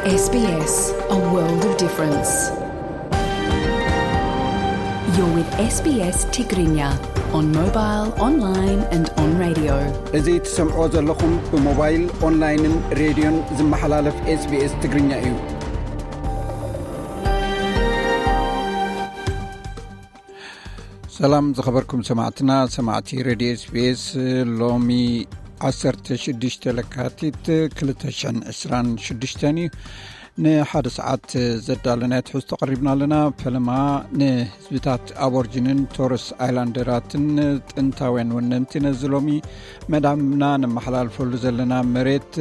S B S, a world of difference. You're with S B S Tigrinya on mobile, online and on radio. እዚ ትሰምዕዎ ዘለኹም ብሞባይል፣ ኦንላይንን ሬድዮን ዝመሓላለፍ SBS ትግርኛ እዩ። ሰላም ዝኸበርኩም ሰማዕትና፣ ሰማዕቲ ሬድዮ SBS፣ ሎሚ ዓሰርተ ሽዱሽተ ለካቲት ክልተ ሽሕን ዕስራን ሽዱሽተን እዩ። ንሓደ ሰዓት ዘዳለናዮ ትሕዝቶ ቀሪብና ኣለና። ፈለማ ንህዝብታት ኣቦርጅንን ቶረስ ኣይላንደራትን ጥንታውያን ወነንቲ ነዚ ሎሚ መዳምና ነመሓላልፈሉ ዘለና መሬት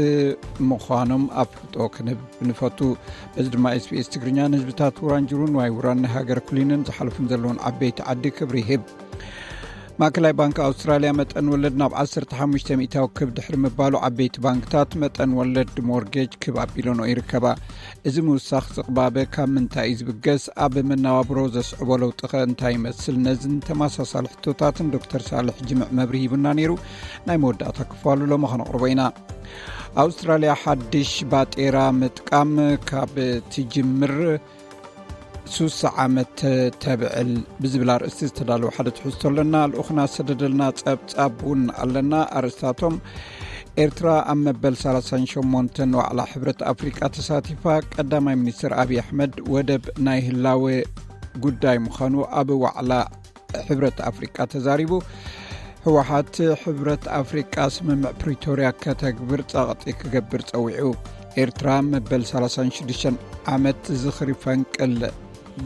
ምዃኖም ኣፍልጦ ክንህብ ንፈቱ። በዚ ድማ SBS ትግርኛ ንህዝብታት ውራንጅሩን ዋይ ውራን ናይ ሃገር ኩሊንን ዝሓለፉን ዘለውን ዓበይቲ ዓዲ ክብሪ ይህብ። ማእከላይ ባንክ ኣውስትራልያ መጠን ወለድ ናብ ዓሰርተ ሓሙሽተ ሚእታዊ ክብ ድሕሪ ምባሉ፣ ዓበይቲ ባንክታት መጠን ወለድ ሞርጌጅ ክብ ኣቢለንኦ ይርከባ። እዚ ምውሳኽ ዝቕባበ ካብ ምንታይ እዩ ዝብገስ? ኣብ መነባብሮ ዘስዕቦ ለውጢ ኸ እንታይ ይመስል? ነዝን ተመሳሳሊ ሕቶታትን ዶክተር ሳልሕ ጅምዕ መብርሂ ሂቡና ነይሩ። ናይ መወዳእታ ክፋሉ ሎሚ ኸነቕርቦ ኢና። ኣውስትራልያ ሓድሽ ባጤራ ምጥቃም ካብ ትጅምር ሱሳ ዓመት ተብዕል ብዝብል ኣርእስቲ ዝተዳለወ ሓደ ትሕዝቶ ኣለና። ልኡኽና ዝሰደደልና ጸብጻብ እውን ኣለና። ኣርእስታቶም፣ ኤርትራ ኣብ መበል ሰላሳን ሸሞንተን ዋዕላ ሕብረት ኣፍሪቃ ተሳቲፋ፣ ቀዳማይ ሚኒስትር ኣብይ ኣሕመድ ወደብ ናይ ህላወ ጉዳይ ምዃኑ ኣብ ዋዕላ ሕብረት ኣፍሪቃ ተዛሪቡ፣ ህወሓት ሕብረት ኣፍሪቃ ስምምዕ ፕሪቶርያ ከተግብር ጸቕጢ ክገብር ጸዊዑ፣ ኤርትራ መበል ሰላሳን ሽዱሽተን ዓመት ዝኽሪ ፈንቅል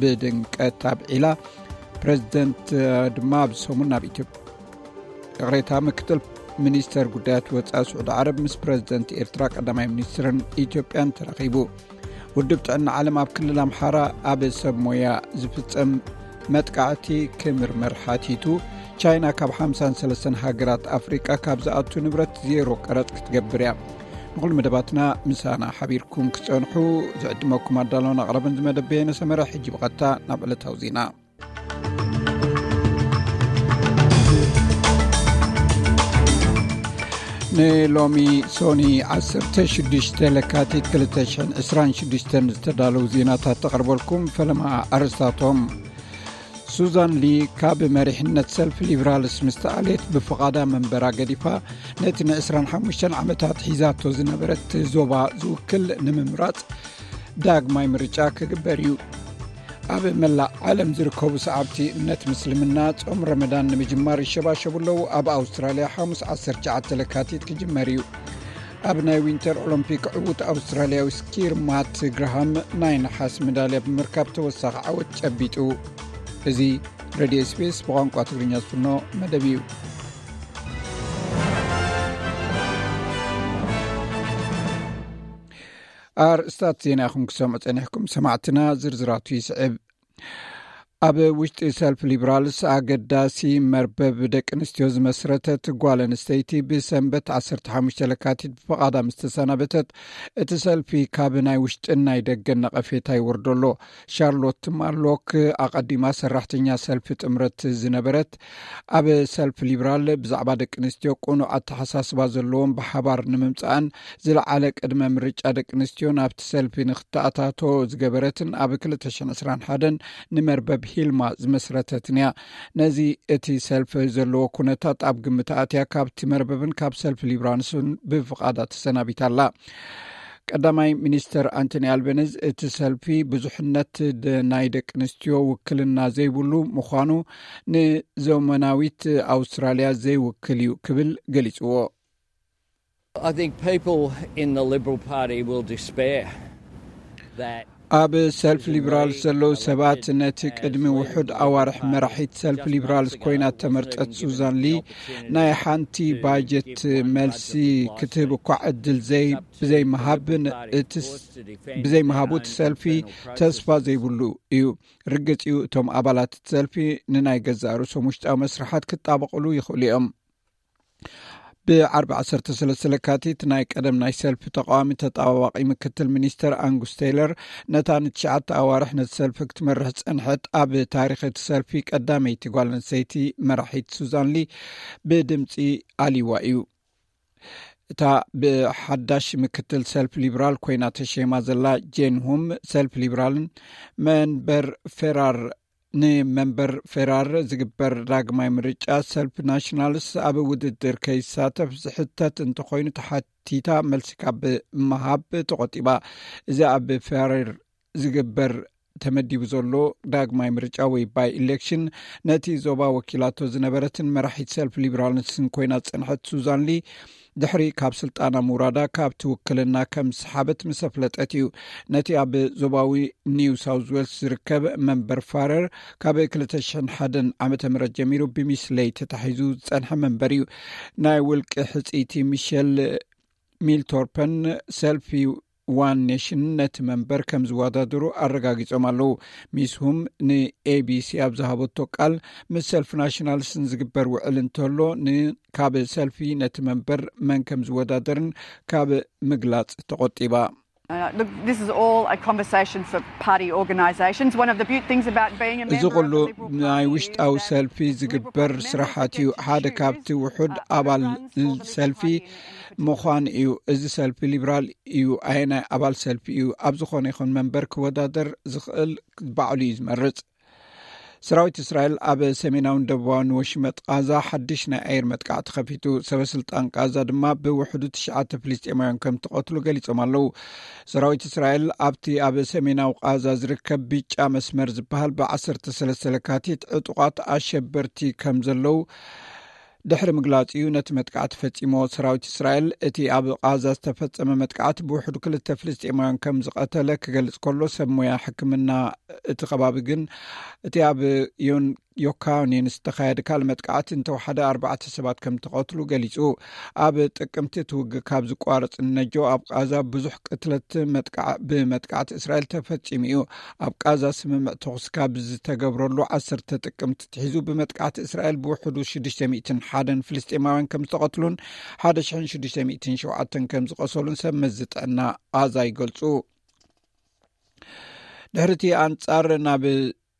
ብድምቀት ኣብዒላ፣ ፕሬዚደንት ድማ ኣብዚ ሰሙን ናብ ኢትዮጵያ፣ ይቕሬታ፣ ምክትል ሚኒስተር ጉዳያት ወጻኢ ስዑዲ ዓረብ ምስ ፕሬዚደንት ኤርትራ ቀዳማይ ሚኒስትርን ኢትዮጵያን ተራኺቡ። ውድብ ጥዕና ዓለም ኣብ ክልል ኣምሓራ ኣብ ሰብ ሞያ ዝፍጸም መጥቃዕቲ ክምርመር ሓቲቱ። ቻይና ካብ ሓምሳን ሰለስተን ሃገራት ኣፍሪቃ ካብ ዝኣቱ ንብረት ዜሮ ቀረጽ ክትገብር እያ። ንኹሉ መደባትና ምሳና ሓቢርኩም ክጸንሑ ዝዕድመኩም ኣዳለውን ኣቕረብን ዝመደብ በየነ ሰመረ። ሕጂ ብቐጥታ ናብ ዕለታዊ ዜና። ንሎሚ ሶኒ ዓሰርተ ሽዱሽተ ለካቲት ክልተ ሽሕን ዕስራን ሽዱሽተን ዝተዳለዉ ዜናታት ተቐርበልኩም። ፈለማ ኣርእስታቶም። ሱዛን ሊ ካብ መሪሕነት ሰልፊ ሊብራልስ ምስ ተኣልየት፣ ብፍቓዳ መንበራ ገዲፋ፣ ነቲ ንዕስራን ሓሙሽተን ዓመታት ሒዛቶ ዝነበረት ዞባ ዝውክል ንምምራጽ ዳግማይ ምርጫ ክግበር እዩ። ኣብ መላእ ዓለም ዝርከቡ ሰዓብቲ እምነት ምስልምና ጾም ረመዳን ንምጅማር ይሸባሸቡ ኣለዉ። ኣብ ኣውስትራልያ ሓሙስ ዓሰርተ ትሽዓተ ለካቲት ክጅመር እዩ። ኣብ ናይ ዊንተር ኦሎምፒክ ዕዉት ኣውስትራልያዊ ስኪር ማት ግራሃም ናይ ነሓስ መዳልያ ብምርካብ ተወሳኺ ዓወት ጨቢጡ። እዚ ሬድዮ SBS ብቋንቋ ትግርኛ ዝፍኖ መደብ እዩ። ኣርእስታት ዜና ኢኹም ክሰምዑ ጸኒሕኩም ሰማዕትና፣ ዝርዝራቱ ይስዕብ። ኣብ ውሽጢ ሰልፊ ሊብራልስ ኣገዳሲ መርበብ ደቂ ኣንስትዮ ዝመስረተት ጓል ኣንስተይቲ ብሰንበት ዓሰርተ ሓሙሽተ ለካቲት ብፍቓዳ ምስ ተሰናበተት፣ እቲ ሰልፊ ካብ ናይ ውሽጥን ናይ ደገን ነቐፌታ ይወርዶ ኣሎ። ሻርሎት ማርሎክ ኣቐዲማ ሰራሕተኛ ሰልፊ ጥምረት ዝነበረት፣ ኣብ ሰልፊ ሊብራል ብዛዕባ ደቂ ኣንስትዮ ቅኑዕ ኣተሓሳስባ ዘለዎም ብሓባር ንምምጻእን ዝለዓለ ቅድመ ምርጫ ደቂ ኣንስትዮ ናብቲ ሰልፊ ንክተኣታቶ ዝገበረትን ኣብ ክልተ ሽሕን ዕስራን ሓደን ንመርበብ ሂልማ ዝመስረተትን እያ። ነዚ እቲ ሰልፊ ዘለዎ ኩነታት ኣብ ግምት ኣትያ ካብቲ መርበብን ካብ ሰልፊ ሊብራልስን ብፍቓዳ ተሰናቢታ ኣላ። ቀዳማይ ሚኒስተር ኣንቶኒ ኣልበኒዝ፣ እቲ ሰልፊ ብዙሕነት ደ-፣ ናይ ደቂ ኣንስትዮ ውክልና ዘይብሉ ምዃኑ ንዘመናዊት ኣውስትራልያ ዘይውክል እዩ ክብል ገሊጽዎ። I think people in the Liberal Party will despair that ኣብ ሰልፊ ሊብራል ዘለዉ ሰባት ነቲ ቅድሚ ውሑድ ኣዋርሕ መራሒት ሰልፊ ሊብራልስ ኮይና ተመርጸት ሱዛን ሊ ናይ ሓንቲ ባጀት መልሲ ክትህብ እኳ ዕድል ዘይ-፣ ብዘይምሃብ ን-፣ እቲ ስ-፣ ብዘይምሃቡ እቲ ሰልፊ ተስፋ ዘይብሉ እዩ። ርግጽ እዩ፣ እቶም ኣባላት እቲ ሰልፊ ንናይ ገዛእ ርእሶም ውሽጣዊ መስርሓት ክጣበቕሉ ይኽእሉ እዮም። ብዓርቢ ዓሰርተ ሰለስተ ለካቲት ናይ ቀደም ናይ ሰልፊ ተቃዋሚ ተጣባባቂ ምክትል ሚኒስተር ኣንጉስ ቴይለር ነታ ንትሽዓተ ኣዋርሕ ነቲ ሰልፊ ክትመርሕ ዝጸንሐት ኣብ ታሪኽ እቲ ሰልፊ ቀዳመይቲ ጓል ኣንስተይቲ መራሒት ሱዛን ሊ ብድምጺ ኣልይዋ እዩ። እታ ብሓዳሽ ምክትል ሰልፊ ሊብራል ኮይና ተሸይማ ዘላ ጄን ሁም፣ ሰልፊ ሊብራልን መንበር ፌራር ንመንበር ፌራር ዝግበር ዳግማይ ምርጫ ሰልፊ ናሽናልስ ኣብ ውድድር ከይሳተፍ ዝሕተት እንተኾይኑ ተሓቲታ መልሲ ካብ ምሃብ ተቆጢባ። እዚ ኣብ ፌራር ዝግበር ተመዲቡ ዘሎ ዳግማይ ምርጫ ወይ ባይ ኢሌክሽን ነቲ ዞባ ወኪላቶ ዝነበረትን መራሒት ሰልፊ ሊብራልስን ኮይና ዝጸንሐት ሱዛን ሊ ድሕሪ ካብ ስልጣና ምውራዳ ካብ ትውክልና ከም ዝሰሓበት ምስ ኣፍለጠት እዩ። ነቲ ኣብ ዞባዊ ኒው ሳውዝ ዌልስ ዝርከብ መንበር ፋረር ካብ ክልተ ሽሕን ሓደን ዓመተ ምህረት ጀሚሩ ብሚስለይ ተታሒዙ ዝጸንሐ መንበር እዩ። ናይ ውልቂ ሕጽይቲ ሚሸል ሚልቶርፐን ሰልፊ ዋን ኔሽን ነቲ መንበር ከም ዝወዳደሩ ኣረጋጊጾም ኣለዉ። ሚስ ሁም ንኤቢሲ ኣብ ዝሃበቶ ቃል፣ ምስ ሰልፊ ናሽናልስን ዝግበር ውዕል እንተሎ ን ካብ ሰልፊ ነቲ መንበር መን ከም ዝወዳደርን ካብ ምግላጽ ተቆጢባ። Uh, look, this is all a conversation for party organisations. One of the beaut things about being a እዚ member of ኩሉ the Liberal ናይ Party ውሽጣዊ is that ሰልፊ ዝግበር ስራሓት እዩ። ሓደ ካብቲ ውሑድ ኣባል ሰልፊ ምዃን እዩ። እዚ ሰልፊ ሊብራል እዩ፣ ኣየናይ ኣባል ሰልፊ እዩ ኣብ ዝኾነ ይኹን መንበር ክወዳደር ዝኽእል ባዕሉ እዩ ዝመርጽ። ሰራዊት እስራኤል ኣብ ሰሜናውን ደቡባውን ወሽመጥ ቃዛ ሓድሽ ናይ ኣየር መጥቃዕቲ ከፊቱ። ሰበ ስልጣን ቃዛ ድማ ብውሕዱ ትሽዓተ ፍልስጤማውያን ከም ተቐትሉ ገሊጾም ኣለዉ። ሰራዊት እስራኤል ኣብቲ ኣብ ሰሜናዊ ቃዛ ዝርከብ ብጫ መስመር ዝበሃል ብ ዓሰርተ ሰለስተ ለካቲት ዕጡቓት ኣሸበርቲ ከም ዘለዉ ድሕሪ ምግላጽ እዩ ነቲ መጥቃዕቲ ፈጺሞ። ሰራዊት እስራኤል እቲ ኣብ ቃዛ ዝተፈጸመ መጥቃዕቲ ብውሕዱ ክልተ ፍልስጤማውያን ከም ዝቐተለ ክገልጽ ከሎ፣ ሰብ ሞያ ሕክምና እቲ ከባቢ ግን እቲ ኣብ ዮን ዮካኒን ዝተኻየደ ካልእ መጥቃዕቲ እንተወሓደ ኣርባዕተ ሰባት ከም ተቐትሉ ገሊጹ። ኣብ ጥቅምቲ እቲ ውግእ ካብ ዝቋረጽ ንነጆ ኣብ ቃዛ ብዙሕ ቅትለት መጥቃዕ ብመጥቃዕቲ እስራኤል ተፈጺሙ እዩ። ኣብ ቃዛ ስምምዕ ተኹሲ ካብ ዝተገብረሉ ዓሰርተ ጥቅምቲ ትሒዙ ብመጥቃዕቲ እስራኤል ብውሕዱ ሽዱሽተ ሚእትን ሓደን ፍልስጤማውያን ከም ዝተቐትሉን ሓደ ሽሕን ሽዱሽተ ሚእትን ሸውዓተን ከም ዝቆሰሉን ሰብ መዚ ጥዕና ቃዛ ይገልጹ። ድሕሪቲ ኣንጻር ናብ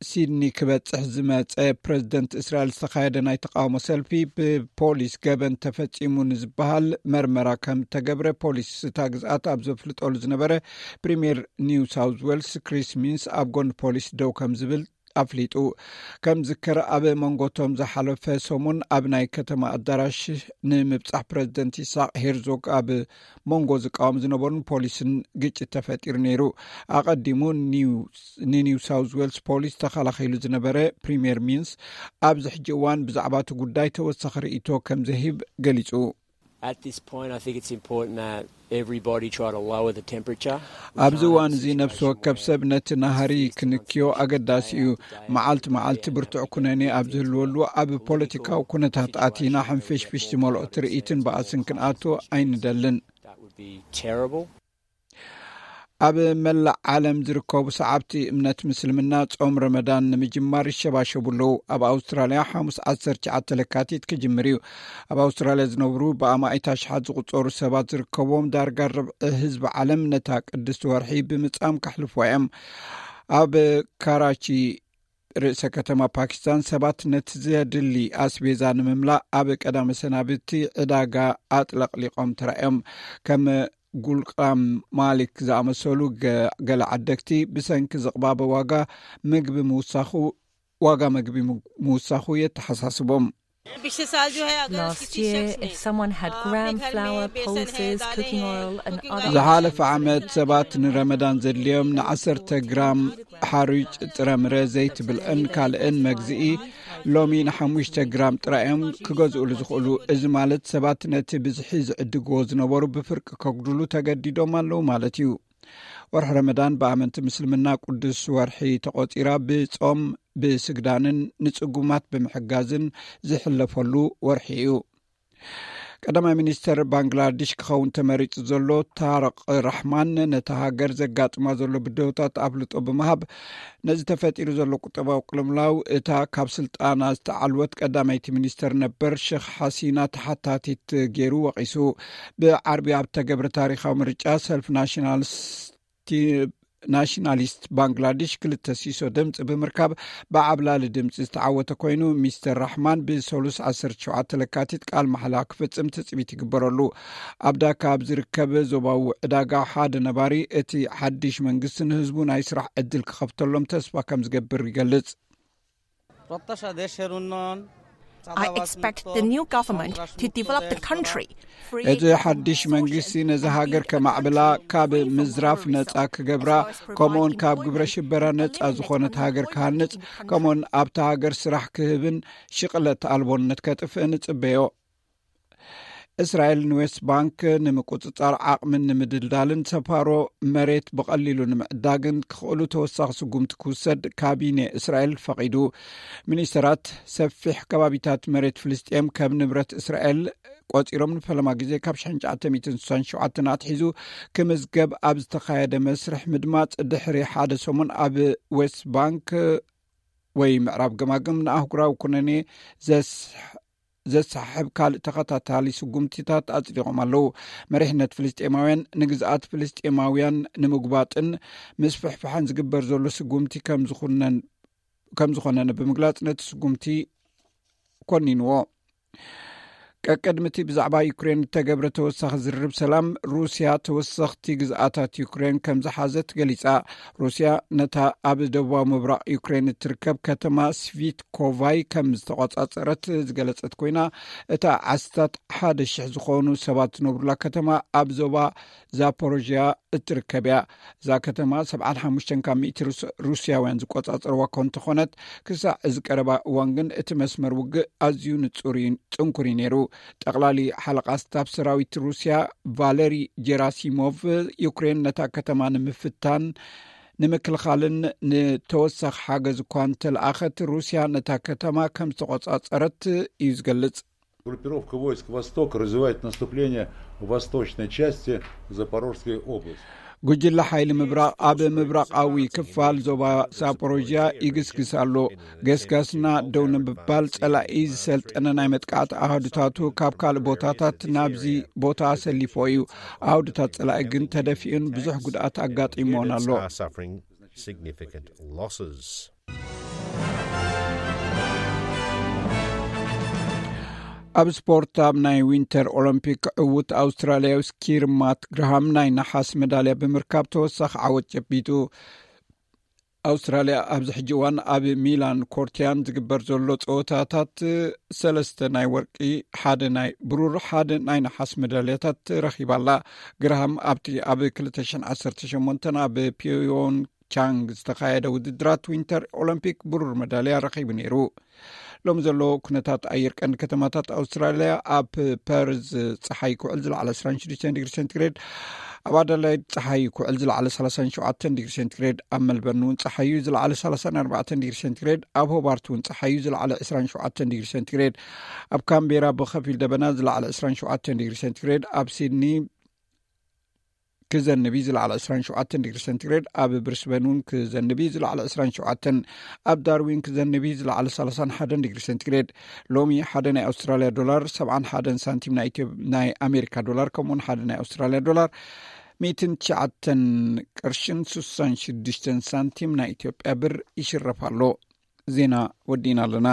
ሲድኒ ክበጽሕ ዝመጸ ፕረዚደንት እስራኤል ዝተኻየደ ናይ ተቃውሞ ሰልፊ ብፖሊስ ገበን ተፈጺሙ ንዝበሃል መርመራ ከም ተገብረ ፖሊስ እታ ግዝኣት ኣብ ዘፍልጠሉ ዝነበረ ፕሪምየር ኒው ሳውዝ ዌልስ ክሪስ ሚንስ ኣብ ጎኒ ፖሊስ ደው ከም ዝብል ኣፍሊጡ። ከም ዝከር ኣብ መንጎቶም ዝሓለፈ ሰሙን ኣብ ናይ ከተማ ኣዳራሽ ንምብጻሕ ፕረዚደንት ይስሐቅ ሄርዞግ ኣብ መንጎ ዝቃወም ዝነበሩን ፖሊስን ግጭት ተፈጢሩ ነይሩ። ኣቐዲሙ ኒው ንኒው ሳውዝ ዌልስ ፖሊስ ተኸላኺሉ ዝነበረ ፕሪምየር ሚንስ ኣብዚ ሕጂ እዋን ብዛዕባ እቲ ጉዳይ ተወሳኺ ርእይቶ ከም ዘሂብ ገሊጹ። At this point, I think it's important that everybody try to lower the temperature. ኣብዚ እዋን እዚ ነፍሲ ወከፍ ሰብ ነቲ ናህሪ ክንክዮ ኣገዳሲ እዩ። መዓልቲ መዓልቲ ብርቱዕ ኩነኔ ኣብ ዝህልወሉ ኣብ ፖለቲካዊ ኩነታት ኣቲና ሕንፍሽፍሽ ዝመልኦ ትርኢትን በኣስን ክንኣቱ ኣይንደልን። That would be terrible. ኣብ መላእ ዓለም ዝርከቡ ሰዓብቲ እምነት ምስልምና ጾም ረመዳን ንምጅማር ይሸባሸቡ ኣለዉ። ኣብ ኣውስትራልያ ሓሙስ ዓሰርተ ትሽዓተ ለካቲት ክጅምር እዩ። ኣብ ኣውስትራልያ ዝነብሩ ብኣማኢት ኣሽሓት ዝቑጸሩ ሰባት ዝርከብዎም ዳርጋ ርብዒ ህዝቢ ዓለም ነታ ቅድስቲ ወርሒ ብምጻም ከሕልፍዋ እዮም። ኣብ ካራቺ ርእሰ ከተማ ፓኪስታን ሰባት ነቲ ዘድሊ ኣስቤዛ ንምምላእ ኣብ ቀዳመ ሰናብቲ ዕዳጋ ኣጥለቕሊቖም ተራእዮም። ከም ጉልቃም ማሊክ ዝኣመሰሉ ገ- ገለ ዓደግቲ ብሰንኪ ዝቕባበ ዋጋ ምግቢ ምውሳኹ ዋጋ ምግቢ ምውሳኹ የተሓሳስቦም። Last year, if someone had gram flour, pulses, cooking oil, and other ዝሓለፈ ዓመት ሰባት ንረመዳን ዘድልዮም ንዓሰርተ ግራም ሓሩጭ፣ ጥረምረ፣ ዘይቲ ብልዕን ካልእን መግዝኢ ሎሚ ንሓሙሽተ ግራም ጥራይ እዮም ክገዝኡሉ ዝኽእሉ። እዚ ማለት ሰባት ነቲ ብዝሒ ዝዕድግዎ ዝነበሩ ብፍርቂ ከጉድሉ ተገዲዶም ኣለዉ ማለት እዩ። ወርሒ ረመዳን ብኣመንቲ ምስልምና ቅዱስ ወርሒ ተቖጺራ ብጾም ብስግዳንን ንጽጉማት ብምሕጋዝን ዝሕለፈሉ ወርሒ እዩ። ቀዳማይ ሚኒስተር ባንግላዴሽ ክኸውን ተመሪጹ ዘሎ ታረቅ ራሕማን ነታ ሃገር ዘጋጥማ ዘሎ ብድሆታት ኣፍልጦ ብምሃብ ነዚ ተፈጢሩ ዘሎ ቁጠባዊ ቅልውላው እታ ካብ ስልጣና ዝተዓልወት ቀዳመይቲ ሚኒስተር ነበር ሸኽ ሓሲና ተሓታቲት ገይሩ ወቒሱ። ብዓርቢ ኣብ ተገብረ ታሪኻዊ ምርጫ ሰልፍ ናሽናልስ ቲ- ናሽናሊስት ባንግላዴሽ ክልተ ሲሶ ድምፂ ብምርካብ ብዓብላሊ ድምፂ ዝተዓወተ ኮይኑ፣ ሚስተር ራሕማን ብሰሉስ ዓሰርተ ሸውዓተ ለካቲት ቃል ማሕላ ክፍፅም ትፅቢት ይግበረሉ። ኣብ ዳካ ኣብ ዝርከብ ዞባዊ ዕዳጋ ሓደ ነባሪ፣ እቲ ሓድሽ መንግስቲ ንህዝቡ ናይ ስራሕ ዕድል ክኸፍተሎም ተስፋ ከም ዝገብር ይገልጽ። I expect the new government to develop the country free እቲ ሓድሽ መንግስቲ ነዚ ሃገር ከማዕብላ፣ ካብ ምዝራፍ ነጻ ክገብራ፣ ከምኡውን ካብ ግብረ ሽበራ ነጻ ዝኾነት ሃገር ክሃንጽ፣ ከምኡውን ኣብታ ሃገር ስራሕ ክህብን ሽቕለት ኣልቦነት ከጥፍእን እጽበዮ። እስራኤል ንዌስት ባንክ ንምቁጽጻር ዓቕምን ንምድልዳልን ሰፋሮ መሬት ብቐሊሉ ንምዕዳግን ክኽእሉ ተወሳኺ ስጉምቲ ክውሰድ ካቢኔ እስራኤል ፈቒዱ። ሚኒስተራት ሰፊሕ ከባቢታት መሬት ፍልስጤም ከም ንብረት እስራኤል ቆጺሮም ንፈለማ ግዜ ካብ ሽሕን ትሽዓተ ሚእትን ስሳን ሸውዓተን ኣትሒዙ ክምዝገብ ኣብ ዝተኻየደ መስርሕ ምድማጽ ድሕሪ ሓደ ሰሙን ኣብ ዌስት ባንክ ወይ ምዕራብ ገማግም ንኣህጉራዊ ኩነኔ ዘስ ዘሳሕብ ካልእ ተኸታታሊ ስጉምቲታት ኣጽዲቖም ኣለዉ። መሪሕነት ፍልስጤማውያን ንግዝኣት ፍልስጤማውያን ንምጉባጥን ምስፍሕፋሕን ዝግበር ዘሎ ስጉምቲ ከም ዝኾነ ንምግላጽ ነቲ ስጉምቲ ኮኒንዎ። ቀቅድሚ እቲ ብዛዕባ ዩክሬን እተገብረ ተወሳኺ ዝርርብ ሰላም፣ ሩስያ ተወሰኽቲ ግዝኣታት ዩክሬን ከም ዝሓዘት ገሊጻ። ሩስያ ነታ ኣብ ደቡባዊ ምብራቕ ዩክሬን እትርከብ ከተማ ስቪትኮቫይ ከም ዝተቖጻጸረት ዝገለጸት ኮይና፣ እታ ዓስታት ሓደ ሽሕ ዝኾኑ ሰባት ዝነብሩላ ከተማ ኣብ ዞባ ዛፖሮዥያ እትርከብ እያ። እዛ ከተማ ሰብዓን ሓሙሽተን ካብ ሚእቲ ሩስያውያን ዝቆጻጸርዋ እኳ እንተኾነት፣ ክሳዕ እዚ ቀረባ እዋን ግን እቲ መስመር ውግእ ኣዝዩ ንጹር እዩ፣ ጽንኩር እዩ ነይሩ። ጠቕላሊ ሓለቓ ስታፍ ሰራዊት ሩስያ ቫለሪ ጀራሲሞቭ፣ ዩክሬን ነታ ከተማ ንምፍታን ንምክልኻልን ንተወሳኺ ሓገዝ እኳ እንተለኣኸት፣ ሩስያ ነታ ከተማ ከም ዝተቆጻጸረት እዩ ዝገልጽ። Группировка войск «Восток» развивает наступление в восточной части Запорожской области. ጉጅለ ሓይሊ ምብራቕ ኣብ ምብራቓዊ ክፋል ዞባ ሳፖሮዥያ ይግስግስ ኣሎ። ገስጋስና ደው ንምባል ጸላኢ ዝሰልጠነ ናይ መጥቃዕቲ ኣሃዱታቱ ካብ ካልእ ቦታታት ናብዚ ቦታ ኣሰሊፎ እዩ። ኣሃዱታት ጸላኢ ግን ተደፊኡን ብዙሕ ጉድኣት ኣጋጢሞን ኣሎ። Significant losses. ኣብ ስፖርት፣ ኣብ ናይ ዊንተር ኦሎምፒክ ዕውት ኣውስትራልያዊ ስኪር ማት ግርሃም ናይ ነሓስ መዳልያ ብምርካብ ተወሳኺ ዓወት ጨቢጡ። ኣውስትራልያ ኣብዚ ሕጂ እዋን ኣብ ሚላን ኮርቲያን ዝግበር ዘሎ ጸወታታት ሰለስተ ናይ ወርቂ፣ ሓደ ናይ ብሩር፣ ሓደ ናይ ነሓስ መዳልያታት ረኺባ ኣላ። ግርሃም ኣብቲ ኣብ ክልተ ሽሕን ዓሰርተ ሸሞንተን ኣብ ፒዮንግ ቻንግ ዝተኻየደ ውድድራት ዊንተር ኦሎምፒክ ብሩር መዳልያ ረኺቡ ነይሩ። ሎም ዘሎ ኩነታት ኣየር ቀንዲ ከተማታት ኣውስትራልያ፣ ኣብ ፐርዝ ጸሓይ ክውዕል ዝለዓለ ዕስራን ሽዱሽተን ዲግሪ ሴንቲግሬድ፣ ኣብ ኣደላይድ ጸሓይ ክውዕል ዝለዓለ ሰላሳን ሸውዓተን ዲግሪ ሴንቲግሬድ፣ ኣብ መልበርን እውን ጸሓዩ ዝለዓለ ሰላሳን ኣርባዕተን ዲግሪ ሴንቲግሬድ፣ ኣብ ሆባርት እውን ጸሓዩ ዝለዓለ ዕስራን ሸውዓተን ዲግሪ ሴንቲግሬድ፣ ኣብ ካምቤራ ብኸፊል ደበና ዝለዓለ ዕስራን ሸውዓተን ዲግሪ ሴንቲግሬድ፣ ኣብ ሲድኒ ክዘንብ እዩ ዝለዓለ ዕስራን ሸውዓተን ዲግሪ ሴንቲግሬድ፣ ኣብ ብሪስበን እውን ክዘንብ እዩ ዝለዓለ ዕስራን ሸውዓተን፣ ኣብ ዳርዊን ክዘንብ እዩ ዝለዓለ ሰላሳን ሓደን ዲግሪ ሴንቲግሬድ። ሎሚ ሓደ ናይ ኣውስትራልያ ዶላር ሰብዓን ሓደን ሳንቲም ናይ ኢትዮ-፣ ናይ ኣሜሪካ ዶላር፣ ከምኡውን ሓደ ናይ ኣውስትራልያ ዶላር ሚእትን ትሽዓተን ቅርሽን ስሳን ሽዱሽተን ሳንቲም ናይ ኢትዮጵያ ብር ይሽረፍ ኣሎ። ዜና ወዲእና ኣለና።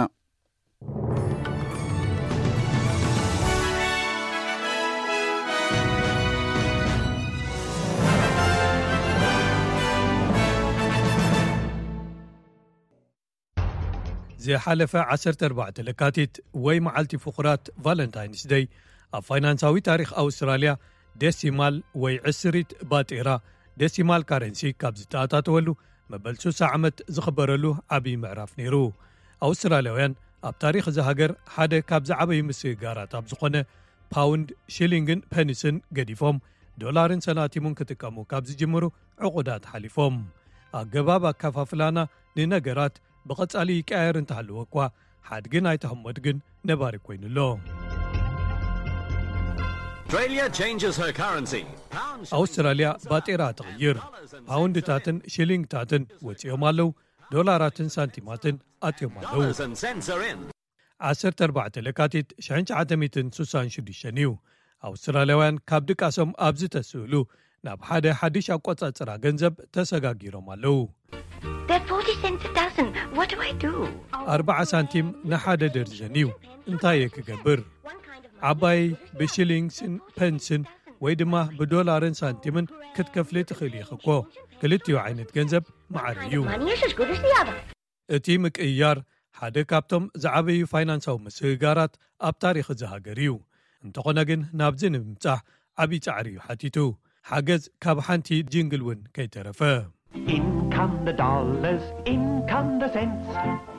ዝሓለፈ ዓሰርተ ኣርባዕተ ለካቲት ወይ መዓልቲ ፍቑራት ቫለንታይንስ ደይ ኣብ ፋይናንሳዊ ታሪኽ ኣውስትራልያ ዴሲማል ወይ ዕስሪት ባጤራ ዴሲማል ካረንሲ ካብ ዝተኣታተወሉ መበል ሱሳ ዓመት ዝኽበረሉ ዓብዪ ምዕራፍ ነይሩ። ኣውስትራልያውያን ኣብ ታሪኽ እዛ ሃገር ሓደ ካብ ዝዓበዩ ምስግጋራት ኣብ ዝኾነ ፓውንድ፣ ሽሊንግን ፐኒስን ገዲፎም ዶላርን ሰናቲሙን ክጥቀሙ ካብ ዝጅምሩ ዕቑዳት ሓሊፎም። ኣገባብ ኣከፋፍላና ንነገራት ብቐጻሊ ይቀያየር እንተሃለወ እኳ፣ ሓድግን ኣይተህሞድ ግን ነባሪ ኮይኑ ኣሎ። Australia changes her currency. Pounds, ኣውስትራልያ ባጤራ ትቕይር። ፓውንድታትን ሽሊንግታትን ወጺኦም ኣለዉ። ዶላራትን ሳንቲማትን ኣትዮም ኣለዉ። dollars and cents are in. ዓሰርተ ኣርባዕተ ለካቲት ሽሕን ትሽዓተ ሚእትን ስሳን ሽዱሽተን እዩ። ኣውስትራልያውያን ካብ ድቃሶም ኣብ ዝተስእሉ ናብ ሓደ ሓድሽ ኣቆጻጽራ ገንዘብ ተሰጋጊሮም ኣለዉ። They're forty cents a dozen. What do I do? ኣርባዓ ሳንቲም ንሓደ ደርዘን እዩ። እንታይ እየ ክገብር? ዓባይ ብሽሊንግስን ፐንስን ወይ ድማ ብዶላርን ሳንቲምን ክትከፍሊ ትኽእል ኢኺ እኮ። ክልቲኡ ዓይነት ገንዘብ ማዕረ እዩ። Money is as good as the other. እቲ ምቅይያር ሓደ ካብቶም ዝዓበዩ ፋይናንሳዊ ምስግጋራት ኣብ ታሪኽ እዚ ሃገር እዩ። እንተኾነ ግን ናብዚ ንምብጻሕ ዓብዪ ጻዕሪ እዩ ሓቲቱ። ሓገዝ ካብ ሓንቲ ጂንግል እውን ከይተረፈ። In come the dollars, in come the cents,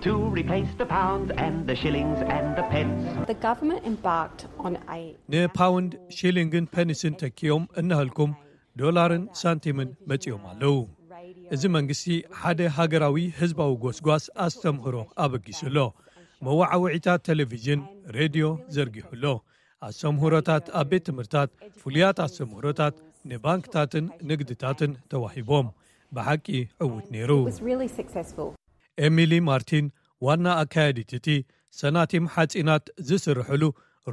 to replace the pounds and the shillings and the pence. The government embarked on a ንፓውንድ፣ ሺሊንግን ፐኒስን ተኪኦም እናሃልኩም ዶላርን ሳንቲምን መጺኦም ኣለዉ። እዚ መንግስቲ ሓደ ሃገራዊ ህዝባዊ ጎስጓስ ኣስተምህሮ ኣበጊሱ ኣሎ። መዋዓውዒታት ቴሌቪዥን፣ ሬድዮ ዘርጊሑ ኣሎ። ኣስተምህሮታት ኣብ ቤት ትምህርታት፣ ፍሉያት ኣስተምህሮታት ንባንክታትን ንግድታትን ተዋሂቦም። ብሓቂ ዕዉት ነይሩ። It was really successful. ኤሚሊ ማርቲን ዋና ኣካያዲት እቲ ሰናቲም ሓጺናት ዝስርሕሉ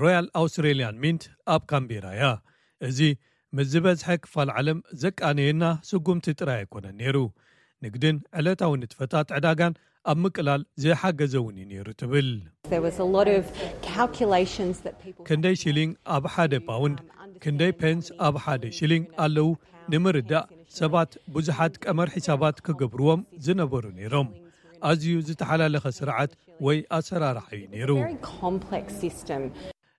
ሮያል ኣውስትሬልያን ሚንት ኣብ ካምቤራ እያ። እዚ ምስ ዝበዝሐ ክፋል ዓለም ዘቃነየና ስጉምቲ ጥራይ ኣይኮነን ነይሩ። ንግድን ዕለታዊ ንጥፈታት ዕዳጋን ኣብ ምቅላል ዝሓገዘ እውን እዩ ነይሩ ትብል። There was a lot of calculations that people ክንደይ ሽሊንግ ኣብ ሓደ ፓውንድ፣ ክንደይ ፔንስ ኣብ ሓደ ሽሊንግ ኣለዉ ንምርዳእ ሰባት ብዙሓት ቀመር ሒሳባት ክገብርዎም ዝነበሩ ነይሮም። ኣዝዩ ዝተሓላለኸ ስርዓት ወይ ኣሰራርሓ እዩ ነይሩ። Very complex system.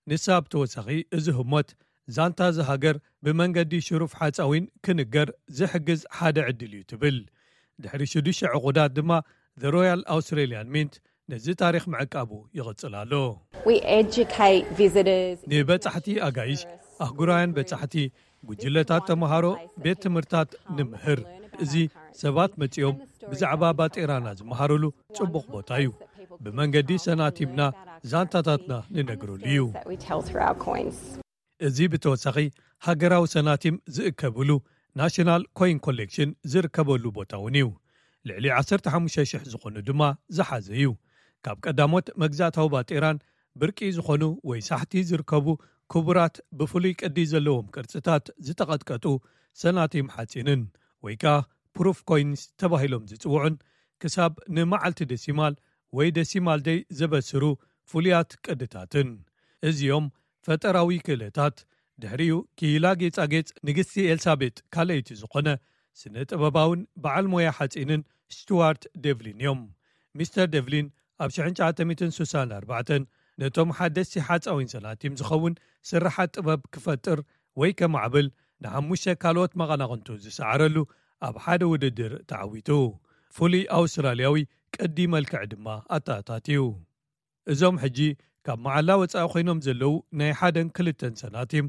ንሳ ብተወሳኺ እዚ ህሞት ዛንታ እዚ ሃገር ብመንገዲ ሽሩፍ ሓፃዊን ክንገር ዝሕግዝ ሓደ ዕድል እዩ ትብል። ድሕሪ ሽዱሽተ ዕቑዳት ድማ The Royal Australian Mint ነዚ ታሪኽ ምዕቃቡ ይቕጽል ኣሎ። We educate visitors. ንበጻሕቲ ኣጋይሽ፣ ኣህጉራውያን በጻሕቲ፣ ጉጅለታት ተምሃሮ፣ ቤት ትምህርታት ንምህር። እዚ ሰባት መጺኦም ብዛዕባ ባጤራና ዝመሃሩሉ ጽቡቕ ቦታ እዩ። ብመንገዲ ሰናቲምና ዛንታታትና ንነግረሉ እዩ። That we tell through our coins. እዚ ብተወሳኺ ሃገራዊ ሰናቲም ዝእከብሉ ናሽናል ኮይን ኮሌክሽን ዝርከበሉ ቦታ እውን እዩ። ልዕሊ ዓሰርተ ሓሙሽተ ሽሕ ዝኾኑ ድማ ዝሓዘ እዩ። ካብ ቀዳሞት መግዛእታዊ ባጤራን ብርቂ ዝኾኑ ወይ ሳሕቲ ዝርከቡ ክቡራት ብፍሉይ ቅዲ ዘለዎም ቅርጽታት ዝተቐጥቀጡ ሰናቲም ሓጺንን ወይ ከኣ ፕሩፍ ኮይንስ ተባሂሎም ዝጽውዑን ክሳብ ንመዓልቲ ደሲማል ወይ ደሲማል ደይ ዘበስሩ ፍሉያት ቅድታትን። እዚኦም ፈጠራዊ ክእለታት ድሕሪኡ ክኢላ ጌጻጌጽ ንግስቲ ኤልሳቤጥ ካልኣይቲ ዝኾነ ስነ ጥበባውን በዓል ሞያ ሓጺንን ስቱዋርት ዴቭሊን እዮም። ሚስተር ዴቭሊን ኣብ ሽሕን ትሽዓተ ሚእትን ስሳን ኣርባዕተን ነቶም ሓደስቲ ሓጻዊን ሰናቲም ዝኸውን ስርሓት ጥበብ ክፈጥር ወይ ከማዕብል ንሓሙሽተ ካልኦት መቐናቕንቱ ዝሰዓረሉ ኣብ ሓደ ውድድር ተዓዊቱ። ፍሉይ ኣውስትራልያዊ ቅዲ መልክዕ ድማ ኣተኣታትዩ። እዞም ሕጂ ካብ መዓላ ወጻኢ ኮይኖም ዘለዉ ናይ ሓደን ክልተን ሰናቲም፣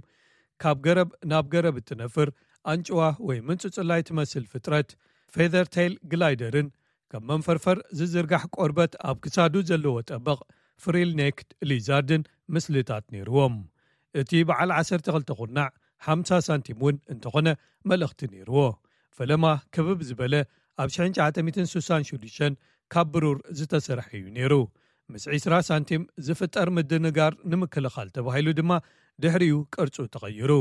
ካብ ገረብ ናብ ገረብ እትነፍር ኣንጭዋ ወይ ምንጽጽላይ ትመስል ፍጥረት፣ ፌዘር ቴይል ግላይደርን ከም መንፈርፈር ዝዝርጋሕ ቆርበት ኣብ ክሳዱ ዘለዎ ጠበቕ ፍሪል ኔክድ ሊዛርድን ምስልታት ነይርዎም። እቲ በዓል ዓሰርተ ክልተ ኩርናዕ ሓምሳ ሳንቲም እውን እንተኾነ መልእኽቲ ነይርዎ። ፈለማ ክብብ ዝበለ ኣብ ሽሕን ትሽዓተ ሚእትን ስሳን ሽዱሽተን ካብ ብሩር ዝተሰርሐ እዩ ነይሩ። ምስ ዒስራ ሳንቲም ዝፍጠር ምድንጋር ንምክልኻል ተባሂሉ ድማ ድሕሪኡ ቅርጹ ተቐይሩ።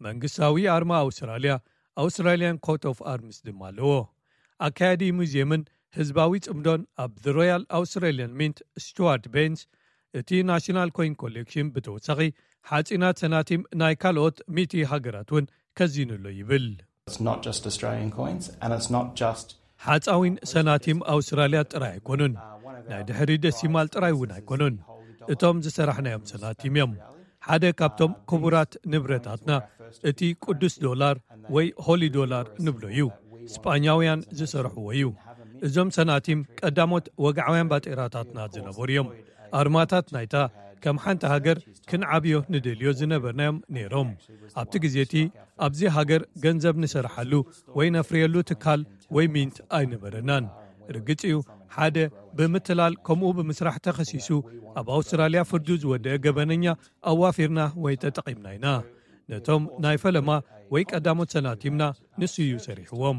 መንግስታዊ ኣርማ ኣውስትራልያ፣ ኣውስትራልያን ኮት ኦፍ ኣርምስ ድማ ኣለዎ። ኣካያዲ ሙዚየምን ህዝባዊ ጽምዶን ኣብ The Royal Australian Mint ስቱዋርት ቤንስ፣ እቲ ናሽናል ኮይን ኮሌክሽን ብተወሳኺ ሓጺናት ሰናቲም ናይ ካልኦት ሚእቲ ሃገራት እውን ከዚኑ ኣሎ ይብል። It's not just Australian coins, and it's not just ሓጻዊን ሰናቲም ኣውስትራልያ ጥራይ ኣይኮኑን፣ ናይ ድሕሪ ደሲማል ጥራይ እውን ኣይኮኑን። እቶም ዝሰራሕናዮም ሰናቲም እዮም። ሓደ ካብቶም ክቡራት ንብረታትና እቲ ቅዱስ ዶላር ወይ ሆሊ ዶላር ንብሎ እዩ። ስጳኛውያን ዝሰርሕዎ እዩ። እዞም ሰናቲም ቀዳሞት ወግዓውያን ባጤራታትና ዝነበሩ እዮም። ኣርማታት ናይታ ከም ሓንቲ ሃገር ክንዓብዮ ንደልዮ ዝነበርናዮም ነይሮም። ኣብቲ ግዜ እቲ ኣብዚ ሃገር ገንዘብ ንሰርሓሉ ወይ ነፍርየሉ ትካል ወይ ሚንት ኣይነበረናን። ርግጽ እዩ፣ ሓደ ብምትላል ከምኡ ብምስራሕ ተኸሲሱ ኣብ ኣውስትራልያ ፍርዱ ዝወደአ ገበነኛ ኣዋፊርና ወይ ተጠቒምና ኢና። ነቶም ናይ ፈለማ ወይ ቀዳሞት ሰናቲምና ንሱ እዩ ሰሪሕዎም።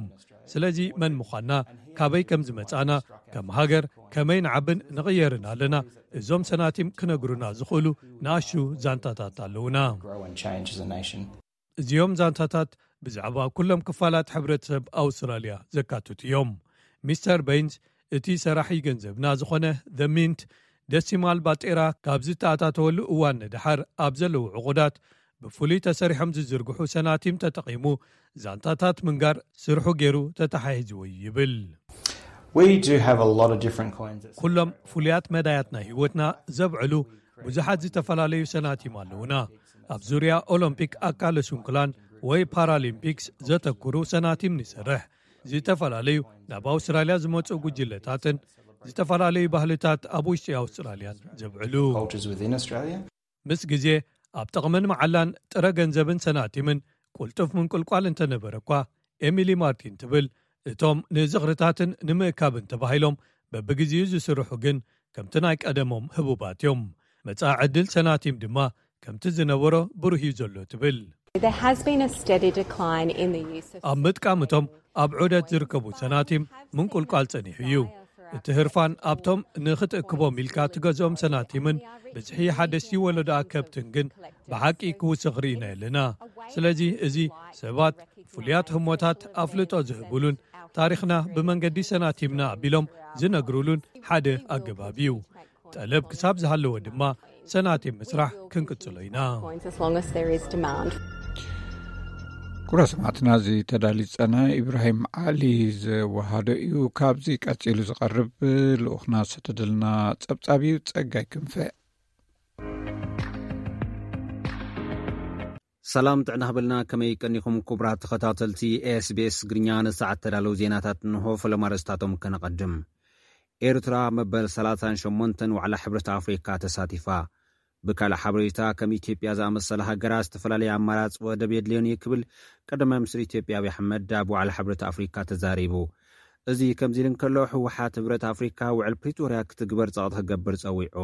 ስለዚ መን ምዃንና፣ ካበይ ከም ዝመጻእና፣ ከም ሃገር ከመይ ንዓብን ንቕየርን ኣለና፣ እዞም ሰናቲም ክነግሩና ዝኽእሉ ንኣሽቱ ዛንታታት ኣለዉና። Grow and change as a nation. እዚኦም ዛንታታት ብዛዕባ ኩሎም ክፋላት ሕብረተሰብ ኣውስትራልያ ዘካትቱ እዮም። ሚስተር በይንስ፣ እቲ ሰራሒ ገንዘብና ዝኾነ The Mint ደሲማል ባጤራ ካብ ዝተኣታተወሉ እዋን ንደሓር ኣብ ዘለዉ ዕቑዳት ብፍሉይ ተሰሪሖም ዝዝርግሑ ሰናቲም ተጠቒሙ ዛንታታት ምንጋር ስርሑ ገይሩ ተተሓሒዝዎ እዩ ይብል። We do have a lot of different coins. That ኩሎም ፍሉያት መዳያት ናይ ህይወትና ዘብዕሉ ብዙሓት ዝተፈላለዩ ሰናቲም ኣለውና። ኣብ ዙርያ ኦሎምፒክ ኣካለ ስንኩላን ወይ ፓራሊምፒክስ ዘተኩሩ ሰናቲም ንሰርሕ። ዝተፈላለዩ ናብ ኣውስትራልያ ዝመፁ ጉጅለታትን ዝተፈላለዩ ባህልታት ኣብ ውሽጢ ኣውስትራልያን ዘብዕሉ። Cultures within Australia. ምስ ግዜ ኣብ ጥቕምን መዓላን ጥረ ገንዘብን ሰናቲምን ቁልጡፍ ምንቁልቋል እንተነበረ እኳ፣ ኤሚሊ ማርቲን ትብል፣ እቶም ንዝኽርታትን ንምእካብን ተባሂሎም በብግዜኡ ዝስርሑ ግን ከምቲ ናይ ቀደሞም ህቡባት እዮም። መጻኢ ዕድል ሰናቲም ድማ ከምቲ ዝነበሮ ብሩህ እዩ ዘሎ ትብል። There has been a steady decline in the use of ኣብ ምጥቃም እቶም ኣብ ዑደት ዝርከቡ ሰናቲም ምንቁልቋል ጸኒሑ እዩ። እቲ ህርፋን ኣብቶም ንኽትእክቦም ኢልካ ትገዝኦም ሰናቲምን ብዝሒ ሓደስቲ ወለዶ ኣከብትን ግን ብሓቂ ክውስኽ ርኢና ኣለና። ስለዚ እዚ ሰባት ፍሉያት ህሞታት ኣፍልጦ ዝህብሉን ታሪኽና ብመንገዲ ሰናቲምና ኣቢሎም ዝነግሩሉን ሓደ ኣገባብ እዩ። ጠለብ ክሳብ ዝሃለወ ድማ ሰናቲም ምስራሕ ክንቅጽሎ ኢና። Coins as long as there is demand. ኩራ ሰማዕትና፣ እዚ ተዳሊ ዝጸና ኢብራሂም ዓሊ ዘወሃዶ እዩ። ካብዚ ቀጺሉ ዝቐርብ ልኡኽና ዝተደልና ጸብጻብ እዩ። ጸጋይ ክንፈ። ሰላም ጥዕና ሃበልና። ከመይ ቀኒኹም ክቡራት ተኸታተልቲ ኤስቢኤስ ትግርኛ? ንሰዓት ተዳለዉ ዜናታት እንሆ። ፈለማ ኣርእስታቶም ከነቐድም። ኤርትራ መበል ሰላሳን ሸሞንተን ዋዕላ ሕብረት ኣፍሪካ ተሳቲፋ። ብካልእ ሓበሬታ፣ ከም ኢትዮጵያ ዝኣመሰላ ሃገራት ዝተፈላለየ ኣማራፂ ወደብ የድልዮን እዩ ክብል ቀዳማይ ሚኒስትር ኢትዮጵያ ኣብይ ኣሕመድ ኣብ ዋዕላ ሕብረት ኣፍሪካ ተዛሪቡ። እዚ ከምዚ ኢሉ እንከሎ፣ ህወሓት ሕብረት ኣፍሪካ ውዕል ፕሪቶርያ ክትግበር ጸቕጢ ክገብር ጸዊዑ።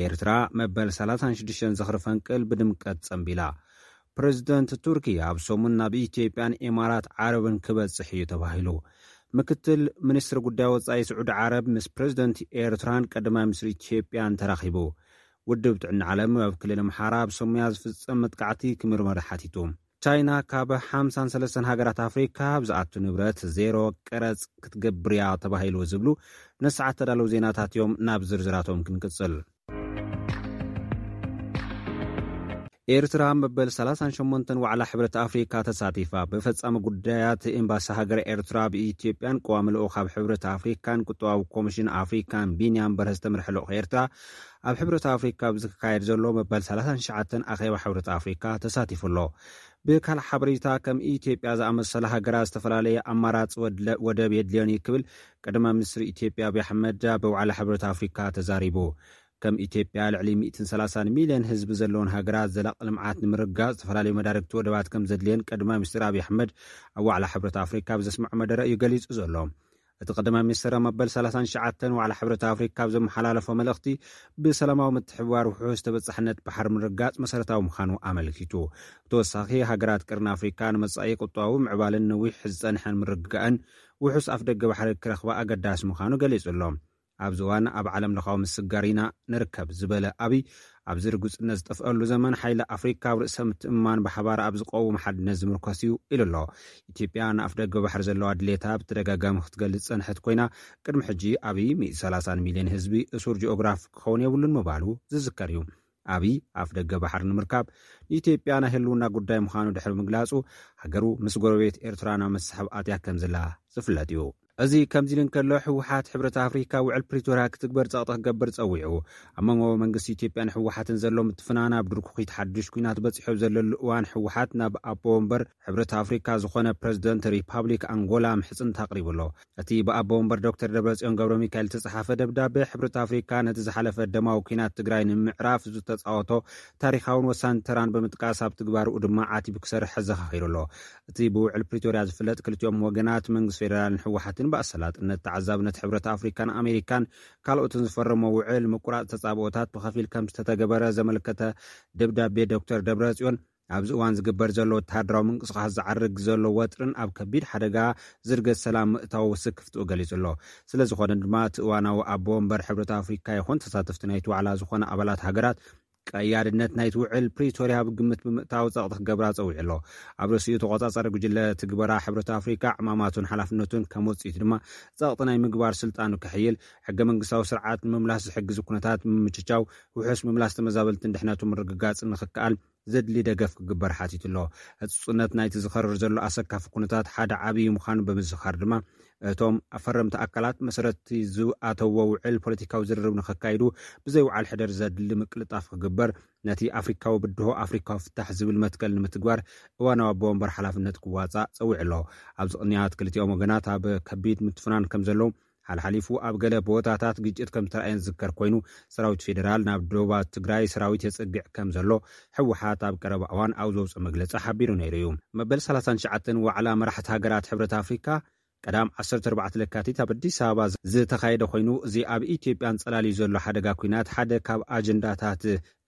ኤርትራ መበል ሰላሳን ሽዱሽተን ዝኽሪ ፈንቅል ብድምቀት ጸንቢላ። ፕሬዚደንት ቱርኪ ኣብ ሰሙን ናብ ኢትዮጵያን ኢማራት ዓረብን ክበጽሕ እዩ ተባሂሉ። ምክትል ሚኒስትር ጉዳይ ወጻኢ ስዑዲ ዓረብ ምስ ፕሬዚደንት ኤርትራን ቀዳማይ ሚኒስትር ኢትዮጵያን ተራኺቡ። ውድብ ጥዕና ዓለም ኣብ ክልል ኣምሓራ ኣብ ሰሙያ ዝፍጸም መጥቃዕቲ ክምርመር ሓቲቱ። ቻይና ካብ ሓምሳን ሰለስተን ሃገራት ኣፍሪካ ኣብ ዝኣቱ ንብረት ዜሮ ቀረጽ ክትገብር እያ ተባሂሉ ዝብሉ ንሰዓት ተዳለዉ ዜናታት እዮም። ናብ ዝርዝራቶም ክንቅጽል። ኤርትራ መበል ሰላሳን ሸሞንተን ዋዕላ ሕብረት ኣፍሪካ ተሳቲፋ። ብፈጻሚ ጉዳያት ኤምባሲ ሃገር ኤርትራ ኣብ ኢትዮጵያን ቀዋሚ ልኡኽ ኣብ ሕብረት ኣፍሪካን ቁጠባዊ ኮሚሽን ኣፍሪካን ቢንያም በርሀ ዝተመርሐ ልኡኽ ኤርትራ ኣብ ሕብረት ኣፍሪካ ኣብ ዝካየድ ዘሎ መበል ሰላሳን ትሽዓተን ኣኼባ ሕብረት ኣፍሪካ ተሳቲፉ ኣሎ። ብካልእ ሓበሬታ፣ ከም ኢትዮጵያ ዝኣመሰላ ሃገራት ዝተፈላለየ ኣማራፂ ወድለ-፣ ወደብ የድልዮን እዩ ክብል ቀዳማይ ሚኒስትር ኢትዮጵያ ኣብይ ኣሕመድ ኣብ ዋዕላ ሕብረት ኣፍሪካ ተዛሪቡ። ከም ኢትዮጵያ ልዕሊ ሚእትን ሰላሳን ሚልዮን ህዝቢ ዘለዎን ሃገራት ዘላቂ ልምዓት ንምርግጋፅ ዝተፈላለዩ መዳርግቲ ወደባት ከም ዘድልየን ቀዳማይ ሚኒስትር ኣብይ ኣሕመድ ኣብ ዋዕላ ሕብረት ኣፍሪካ ኣብ ዘስምዖ መደረ እዩ ገሊጹ ዘሎ። እቲ ቀዳማይ ሚኒስትር ኣብ መበል ሰላሳን ትሽዓተን ዋዕላ ሕብረት ኣፍሪካ ኣብ ዘመሓላለፎ መልእኽቲ፣ ብሰላማዊ ምትሕብባር ውሑስ ተበጻሕነት ባሕሪ ምርግጋፅ መሰረታዊ ምዃኑ ኣመልኪቱ። ብተወሳኺ፣ ሃገራት ቀርኒ ኣፍሪካ ንመጻኢ ቁጠባዊ ምዕባልን ነዊሕ ዝጸንሐን ምርግጋእን ውሑስ ኣፍደገ ባሕሪ ክረኽባ ኣገዳሲ ምዃኑ ገሊጹ ኣሎ። ኣብዚ እዋን ኣብ ዓለም ለኻዊ ምስግጋር ኢና ንርከብ ዝበለ ኣብይ፣ ኣብዚ ርጉጽነት ዝጠፍአሉ ዘመን ሓይሊ ኣፍሪካ ኣብ ርእሰ ምትእምማን ብሓባር ኣብ ዝቀውም ሓድነት ዝምርኮስ እዩ ኢሉ ኣሎ። ኢትዮጵያ ንኣፍ ደገ ባሕሪ ዘለዋ ድሌታ ብተደጋጋሚ ክትገልጽ ጸንሐት ኮይና፣ ቅድሚ ሕጂ ኣብይ ሚእቲ ሰላሳን ሚልዮን ህዝቢ እሱር ጂኦግራፊ ክኸውን የብሉን ምባሉ ዝዝከር እዩ። ኣብይ ኣፍ ደገ ባሕሪ ንምርካብ ንኢትዮጵያ ናይ ህልውና ጉዳይ ምዃኑ ድሕሪ ምግላጹ፣ ሃገሩ ምስ ጎረቤት ኤርትራ ናብ መስሕብ ኣትያ ከም ዘላ ዝፍለጥ እዩ። እዚ ከምዚ ኢሉ እንከሎ፣ ህወሓት ሕብረት ኣፍሪካ ውዕል ፕሪቶርያ ክትግበር ጸቕጢ ክገብር ጸዊዑ። ኣብ መንጎ መንግስቲ ኢትዮጵያን ህወሓትን ዘሎ ምትፍናን ኣብ ድርኩኺት ሓድሽ ኲናት በጺሑ ኣብ ዘለሉ እዋን፣ ህወሓት ናብ ኣቦ ወንበር ሕብረት ኣፍሪካ ዝኾነ ፕሬዚደንት ሪፓብሊክ ኣንጎላ ምሕጽንታ ኣቕሪቡ ኣሎ። እቲ ብኣቦ ወንበር ዶክተር ደብረጽዮን ገብረ ሚካኤል ዝተጻሓፈ ደብዳቤ፣ ሕብረት ኣፍሪካ ነቲ ዝሓለፈ ደማዊ ኲናት ትግራይ ንምዕራፍ ዝተጻወቶ ታሪኻውን ወሳኒ ተራን ብምጥቃስ፣ ኣብ ትግባርኡ ድማ ዓቲቡ ክሰርሕ ኣዘኻኺሩ ኣሎ። እቲ ብውዕል ፕሪቶርያ ዝፍለጥ፣ ክልቲኦም ወገናት፣ መንግስቲ ፌደራልን ህወሓትን፣ ብኣሰላጥነት ተዓዛብነት ሕብረት ኣፍሪካን ኣሜሪካን ካልኦትን ዝፈረሞ ውዕል ምቁራጽ ተጻብኦታት ብኸፊል ከም ዝተተገበረ ዘመልከተ ደብዳቤ፣ ዶክተር ደብረጽዮን፣ ኣብዚ እዋን ዝግበር ዘሎ ወተሃደራዊ ምንቅስቓስ ዝዓርግ ዘሎ ወጥርን ኣብ ከቢድ ሓደጋ ዝርገት ሰላም ምእታው ስክፍትኡ ገሊጹ ኣሎ። ስለ ዝኾነ ድማ፣ እቲ እዋናዊ ኣቦ ወንበር ሕብረት ኣፍሪካ ይኹን ተሳተፍቲ ናይቲ ዋዕላ ዝኾነ ኣባላት ሃገራት ቀያድነት ናይቲ ውዕል ፕሪቶርያ ኣብ ግምት ብምእታው ጸቕጢ ክገብራ ጸዊዑ ኣሎ። ኣብ ርእሲኡ ተቖጻጻሪ ጉጅለ ትግበራ ሕብረት ኣፍሪካ ዕማማቱን ሓላፍነቱን ከም ውጽኢት ድማ ጸቕጢ ናይ ምግባር ስልጣኑ ክሕይል፣ ሕገ መንግስታዊ ስርዓት ንምምላስ ዝሕግዝ ኩነታት ምምችቻው፣ ውሑስ ምምላስ ተመዛበልትን ድሕነቱ ምርግጋጽ ንኽከኣል ዘድሊ ደገፍ ክግበር ሓቲቱ ኣሎ። ህጹጽነት ናይቲ ዝኸርር ዘሎ ኣሰካፊ ኩነታት ሓደ ዓብዪ ምዃኑ ብምዝኻር ድማ እቶም ኣፈረምቲ ኣካላት መሰረትቲ ዝኣተዎ ውዕል ፖለቲካዊ ዝርርብ ንኸካይዱ ብዘይ ውዓል ሕደር ዘድሊ ምቅልጣፍ ክግበር፣ ነቲ ኣፍሪካዊ ብድሆ ኣፍሪካዊ ፍታሕ ዝብል መትከል ንምትግባር እዋናዊ ኣቦ ወንበር ሓላፍነት ክዋፃእ ፀዊዑ ኣሎ። ኣብዚ ቅንያት ክልቲኦም ወገናት ኣብ ከቢድ ምትፍናን ከም ዘለዉ ሓልሓሊፉ ኣብ ገለ ቦታታት ግጭት ከም ዝተረኣየን ዝዝከር ኮይኑ፣ ሰራዊት ፌዴራል ናብ ዶባት ትግራይ ሰራዊት የፅግዕ ከም ዘሎ ህወሓት ኣብ ቀረባ እዋን ኣብ ዘውፅኦ መግለፂ ሓቢሩ ነይሩ እዩ። መበል ሰላሳን ትሽዓተን ዋዕላ መራሕቲ ሃገራት ሕብረት ኣፍሪካ ቀዳም ዓሰርተ ኣርባዕተ ለካቲት ኣብ ኣዲስ ኣበባ ዝተኻየደ ኮይኑ፣ እዚ ኣብ ኢትዮጵያ ኣንጸላልዩ ዘሎ ሓደጋ ኲናት ሓደ ካብ ኣጀንዳታት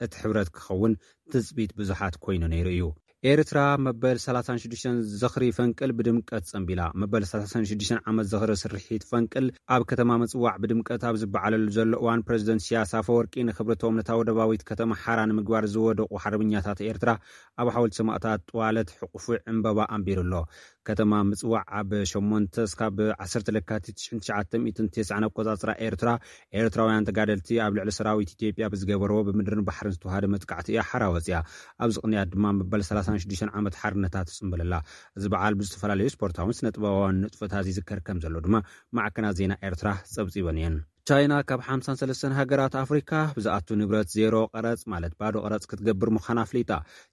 እቲ ሕብረት ክኸውን ትጽቢት ብዙሓት ኮይኑ ነይሩ እዩ። ኤርትራ መበል ሰላሳን ሽዱሽተን ዝኽሪ ፈንቅል ብድምቀት ጸንቢላ። መበል ሰላሳን ሽዱሽተን ዓመት ዝኽሪ ስርሒት ፈንቅል ኣብ ከተማ ምጽዋዕ ብድምቀት ኣብ ዝበዓለሉ ዘሎ እዋን፣ ፕረዚደንት ኢሳያስ ኣፈወርቂ ንክብርቶም ነታ ወደባዊት ከተማ ሓራ ንምግባር ዝወደቑ ሓርበኛታት ኤርትራ ኣብ ሓወልቲ ሰማእታት ጥዋለት ሕቑፉ ዕምበባ ኣንቢሩ ኣሎ። ከተማ ምጽዋዕ ኣብ ሸሞንተ እስካብ ዓሰርተ ለካቲት ትሽዓተ ሚእትን ተስዓን ኣቆጻጽራ ኤርትራ፣ ኤርትራውያን ተጋደልቲ ኣብ ልዕሊ ሰራዊት ኢትዮጵያ ብዝገበርዎ ብምድርን ባሕርን ዝተዋሃደ መጥቃዕቲ እያ ሓራ ወጽያ። ኣብዚ ቅንያት ድማ መበል ሰላሳን ሽዱሽተን ዓመት ሓርነታ ትጽንበለላ። እዚ በዓል ብዝተፈላለዩ ስፖርታውን ስነ ጥበባውን ንጥፈታት ይዝከር ከም ዘሎ ድማ ማዕከናት ዜና ኤርትራ ጸብጺበን እየን። ቻይና ካብ ሓምሳን ሰለስተን ሃገራት ኣፍሪካ ብዝኣቱ ንብረት ዜሮ ቀረጽ ማለት ባዶ ቀረጽ ክትገብር ምዃና ኣፍሊጣ።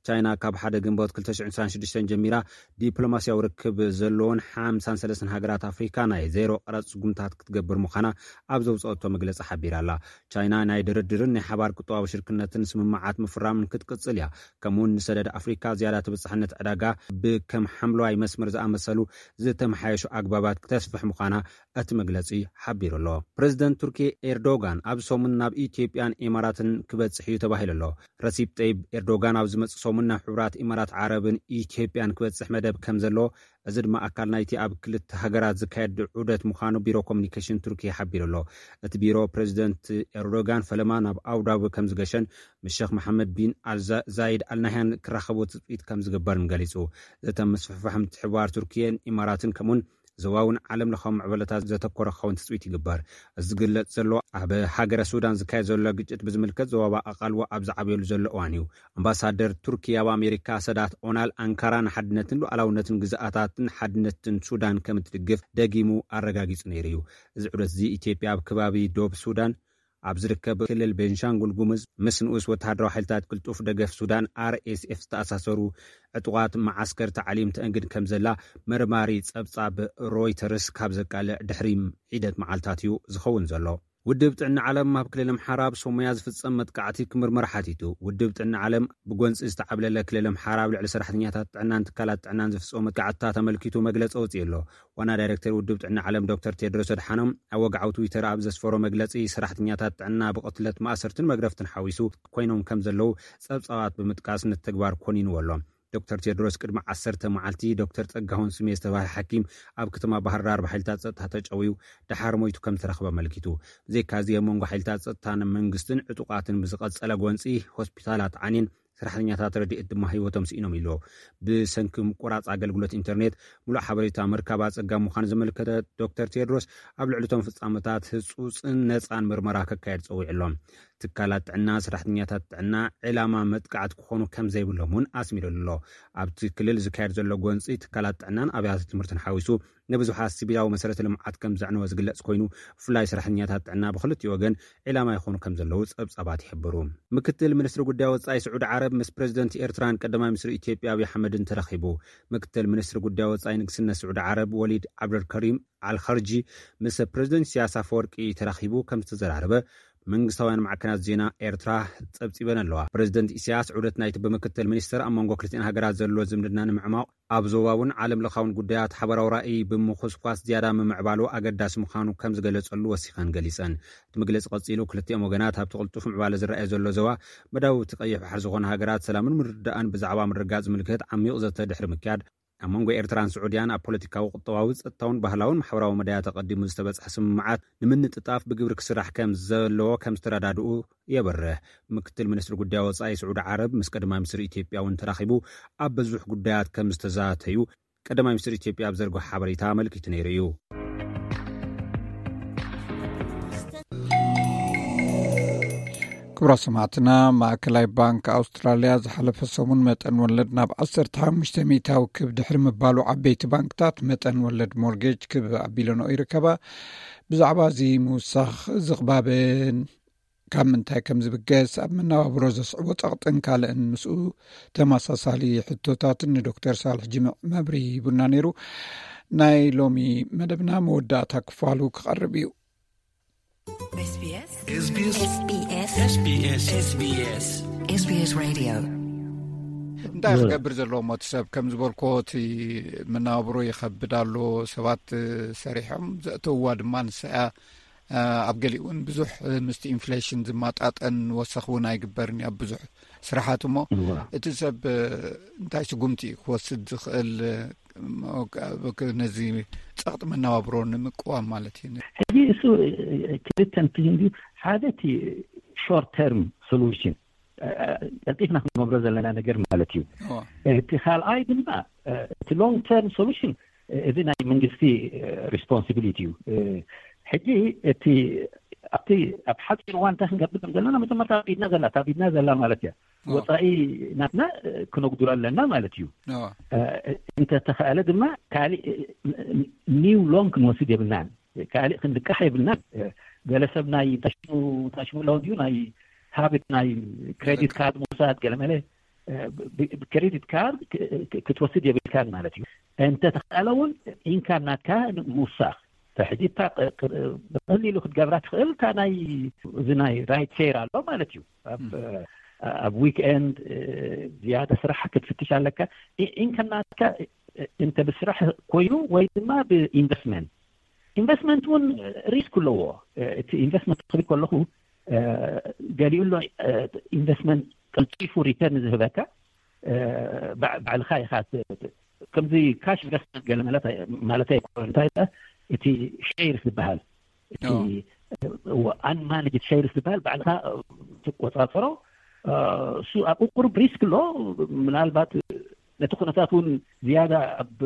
ቻይና ካብ ሓደ ግንቦት ክልተ ሽሕን ዕስራን ሽዱሽተን ጀሚራ ዲፕሎማስያዊ ርክብ ዘለዎን ሓምሳን ሰለስተን ሃገራት ኣፍሪካ ናይ ዜሮ ቀረጽ ስጉምታት ክትገብር ምዃና ኣብ ዘውፅኦቶ መግለፂ ሓቢራ ኣላ። ቻይና ናይ ድርድርን ናይ ሓባር ቁጠባዊ ሽርክነትን ስምምዓት ምፍራምን ክትቅፅል እያ። ከምኡውን ንሰደድ ኣፍሪካ ዝያዳ ተበፃሕነት ዕዳጋ ብከም ሓምለዋይ መስመር ዝኣመሰሉ ዝተመሓየሹ ኣግባባት ክተስፍሕ ምዃና እቲ መግለፂ ሓቢሩ ኣሎ። ፕረዚደንት ቱርኪ ኤርዶጋን ኣብ ሰሙን ናብ ኢትዮጵያን ኢማራትን ክበጽሕ እዩ ተባሂሉ ኣሎ። ረሲፕ ጠይብ ኤርዶጋን ኣብ ዝመጽእ ሰሙን ናብ ሕቡራት ኢማራት ዓረብን ኢትዮጵያን ክበጽሕ መደብ ከም ዘሎ፣ እዚ ድማ ኣካል ናይቲ ኣብ ክልተ ሃገራት ዝካየድ ዑደት ምዃኑ ቢሮ ኮሚኒኬሽን ቱርኪ ሓቢሩ ኣሎ። እቲ ቢሮ ፕረዚደንት ኤርዶጋን ፈለማ ናብ ኣቡዳቢ ከም ዝገሸን ምስ ሸኽ መሓመድ ቢን ኣልዛ-፣ ዛይድ ኣልናህያን ክራኸቡ ትጽቢት ከም ዝግበርን ገሊጹ። ዘተ ምስፍሕፋሕ ምትሕብባር ቱርኪየን ኢማራትን ከምኡን ዞባውን ዓለም ለኻዊ ምዕበለታት ዘተኮረ ክኸውን ትጽቢት ይግበር። እዚ ዝግለጽ ዘሎ ኣብ ሃገረ ሱዳን ዝካየድ ዘሎ ግጭት ብዝምልከት ዞባባ ኣቓልቦ ኣብ ዝዓብየሉ ዘሎ እዋን እዩ። ኣምባሳደር ቱርኪ ኣብ ኣሜሪካ ሰዳት ኦናል ኣንካራ ንሓድነትን ሉዓላውነትን ግዝኣታትን ሓድነትን ሱዳን ከም እትድግፍ ደጊሙ ኣረጋጊጹ ነይሩ እዩ። እዚ ዑደት እዚ ኢትዮጵያ ኣብ ከባቢ ዶብ ሱዳን ኣብ ዝርከብ ክልል ቤንሻንጉል ጉሙዝ ምስ ንኡስ ወተሃደራዊ ሓይልታት ቅልጡፍ ደገፍ ሱዳን ኣር ኤስ ኤፍ ዝተኣሳሰሩ ዕጡቓት መዓስከር ታዕሊም ተእንግድ ከም ዘላ መርማሪ ጸብጻብ ሮይተርስ ካብ ዘቃልዕ ድሕሪ ሒደት መዓልታት እዩ ዝኸውን ዘሎ። ውድብ ጥዕና ዓለም ኣብ ክልል ኣምሓራ ኣብ ሶማያ ዝፍጸም መጥቃዕቲ ክምርመር ሓቲቱ። ውድብ ጥዕና ዓለም ብጎንጺ ዝተዓብለለ ክልል ኣምሓራ ኣብ ልዕሊ ሰራሕተኛታት ጥዕናን ትካላት ጥዕናን ዝፍጸሙ መጥቃዕትታት ኣመልኪቱ መግለጺ ኣውጺኡ ኣሎ። ዋና ዳይሬክተር ውድብ ጥዕና ዓለም ዶክተር ቴድሮስ ኣድሓኖም ኣብ ወግዓዊ ትዊተር ኣብ ዘስፈሮ መግለጺ፣ ሰራሕተኛታት ጥዕና ብቕትለት ማእሰርትን መግረፍትን ሓዊሱ ኮይኖም ከም ዘለዉ ጸብጻባት ብምጥቃስ ነቲ ተግባር ኮኒንዎ ኣሎ። ዶክተር ቴድሮስ ቅድሚ ዓሰርተ መዓልቲ ዶክተር ጸጋሁን ስሜ ዝተባህለ ሓኪም ኣብ ከተማ ባህር ዳር ብሓይልታት ጸጥታ ተጨውዩ ደሓር ሞይቱ ከም ዝተረኽበ ኣመልኪቱ። ብዘይካዚ ኣብ መንጎ ሓይልታት ጸጥታን መንግስትን ዕጡቓትን ብዝቐጸለ ጎንጺ ሆስፒታላት ዓንየን፣ ሰራሕተኛታት ረድኤት ድማ ህይወቶም ስኢኖም ኢሉ። ብሰንኪ ምቁራጽ ኣገልግሎት ኢንተርኔት ምሉእ ሓበሬታ ምርካብ ኣጸጋሚ ምዃኑ ዘመልከተ ዶክተር ቴድሮስ፣ ኣብ ልዕሊ እቶም ፍጻመታት ህጹጽን ነጻን ምርመራ ከካየድ ጸዊዑ ኣሎ። ትካላት ጥዕና፣ ሰራሕተኛታት ጥዕና ዕላማ መጥቃዕቲ ክኾኑ ከም ዘይብሎም እውን ኣስሚሩሉ ኣሎ። ኣብቲ ክልል ዝካየድ ዘሎ ጎንጺ ትካላት ጥዕናን ኣብያተ ትምህርትን ሓዊሱ ንብዙሓት ሲቪላዊ መሰረተ ልምዓት ከም ዘዕነወ ዝግለጽ ኮይኑ፣ ብፍላይ ሰራሕተኛታት ጥዕና ብክልቲኡ ወገን ዒላማ ይኾኑ ከም ዘለዉ ጸብጻባት ይሕብሩ። ምክትል ሚኒስትሪ ጉዳይ ወጻኢ ስዑዲ ዓረብ ምስ ፕረዚደንት ኤርትራን ቀዳማይ ሚኒስትሪ ኢትዮጵያ ኣብይ ኣሕመድን ተራኺቡ። ምክትል ሚኒስትሪ ጉዳይ ወጻኢ ንግስነት ስዑዲ ዓረብ ወሊድ ዓብደልከሪም ኣልኸርጂ ምስ ፕረዚደንት ኢሳያስ ኣፈወርቂ ተራኺቡ ከም ዝተዘራረበ መንግስታውያን ማዕከናት ዜና ኤርትራ ጸብጺበን ኣለዋ። ፕረዚደንት ኢሳያስ ዑደት ናይቲ ብምክትል ሚኒስትር ኣብ መንጎ ክልቲኣን ሃገራት ዘሎ ዝምድና ንምዕማቕ ኣብ ዞባውን ዓለም ለኻውን ጉዳያት ሓበራዊ ራእይ ብምኹስኳስ ዝያዳ ምምዕባሉ ኣገዳሲ ምዃኑ ከም ዝገለጸሉ ወሲኸን ገሊጸን። እቲ መግለጺ ቀጺሉ፣ ክልቲኦም ወገናት ኣብቲ ቅልጡፍ ምዕባለ ዝረኣየ ዘሎ ዞባ መዳውብቲ ቀይሕ ባሕሪ ዝኾና ሃገራት ሰላምን ምርድዳእን ብዛዕባ ምርግጋጽ ዝምልከት ዓሚቕ ዘተ ድሕሪ ምክያድ፣ ኣብ መንጎ ኤርትራን ስዑድያን ኣብ ፖለቲካዊ፣ ቁጠባዊ፣ ጸጥታውን ባህላውን ማሕበራዊ መዳያት ኣቐዲሙ ዝተበጽሐ ስምምዓት ንምንጥጣፍ ብግብሪ ክስራሕ ከም ዘለዎ ከም ዝተረዳድኡ የብርህ። ምክትል ሚኒስትሪ ጉዳይ ወጻኢ ስዑዲ ዓረብ ምስ ቀዳማይ ሚኒስትር ኢትዮጵያ እውን ተራኺቡ ኣብ ብዙሕ ጉዳያት ከም ዝተዛተዩ ቀዳማይ ሚኒስትር ኢትዮጵያ ኣብ ዘርግሖ ሓበሬታ ኣመልኪቱ ነይሩ እዩ። ክቡራት ሰማዕትና፣ ማእከላይ ባንክ ኣውስትራልያ ዝሓለፈ ሰሙን መጠን ወለድ ናብ ዓሰርተ ሓሙሽተ ሚእታዊ ክብ ድሕሪ ምባሉ፣ ዓበይቲ ባንክታት መጠን ወለድ ሞርጌጅ ክብ ኣቢለንኦ ይርከባ። ብዛዕባ እዚ ምውሳኽ ዝቕባበን ካብ ምንታይ ከም ዝብገስ፣ ኣብ መነባብሮ ዘስዕቦ ጸቕጥን ካልእን ምስኡ ተመሳሳሊ ሕቶታትን ንዶክተር ሳልሕ ጅምዕ መብርሂ ሂቡና ነይሩ። ናይ ሎሚ መደብና መወዳእታ ክፋሉ ክቐርብ እዩ። SBS SBS SBS SBS SBS Radio። እንታይ ክገብር ዘለዎ ሞት ሰብ ከም ዝበልኮ፣ እቲ መነባብሮ ይኸብድ ኣሎ። ሰባት ሰሪሖም ዘእተውዋ ድማ ንሳ እያ። ኣብ ገሊኡ እውን ብዙሕ ምስቲ ኢንፍሌሽን ዝማጣጠን ወሰኽ እውን ኣይግበርን እዩ ኣብ ብዙሕ ስራሓት። እሞ እቲ ሰብ እንታይ ስጉምቲ እዩ ክወስድ ዝኽእል ነዚ ጸቕጢ መነባብሮ ንምቅዋም ማለት እዩ? ሕጂ እሱ ክልተ እንትን ድዩ። ሓደ እቲ ሾርት ተርም ሶሉሽን ቀልጢፍና ክንገብሮ ዘለና ነገር ማለት እዩ። እቲ ካልኣይ ድማ እቲ ሎንግ ተርም ሶሉሽን፣ እዚ ናይ መንግስቲ ሪስፖንሲቢሊቲ እዩ። ሕጂ እቲ ኣብቲ ኣብ ሓፂር እዋን እንታይ ክንገብር ከም ዘለና መጀመርታ ኣብ ኢድና ዘላ፣ ኣብ ኢድና ዘላ ማለት እያ። ወፃኢ ናትና ክነጉድሎ ኣለና ማለት እዩ። እንተተኸኣለ ድማ ካሊእ ኒው ሎን ክንወስድ የብልናን። ካሊእ ክንልቃሕ የብልናን። ገለ ሰብ ናይ ታሽሙ ታሽሙ ኣለዎ ድዩ ናይ ሃብት ናይ ክሬዲት ካርድ ምውሳድ ገለ መለ፣ ብክሬዲት ካርድ ክትወስድ የብልካን ማለት እዩ። እንተተኸኣለ እውን ኢንካም ናትካ ምውሳኽ። ሕጂ እታ ብቐሊሉ ክትገብራ ትኽእል እታ ናይ እዚ ናይ ራይድ ሼር ኣሎ ማለት እዩ። ኣብ ዊክኤንድ ዝያዳ ስራሕ ክትፍትሽ ኣለካ። ኢንካም ናትካ እንተ ብስራሕ ኮይኑ ወይ ድማ ብኢንቨስትመንት። ኢንቨስትመንት እውን ሪስክ ኣለዎ። እቲ ኢንቨስትመንት ክብል ከለኹ ገሊኡ ኣሎ ኢንቨስትመንት ቀልጢፉ ሪተርን ዝህበካ ባዕልኻ ኢኻ። ከምዚ ካሽ ኢንቨስትመንት ገለ ማለት ኣይኮነ። እንታይ እቲ ሼርስ ዝበሃል እቲ ኣንማንጅድ ሼርስ ዝበሃል ባዕልኻ ትቆፃፀሮ። እሱ ኣብኡ ቁሩብ ሪስክ ኣሎ። ምናልባት ነቲ ኩነታት እውን ዝያዳ ኣብ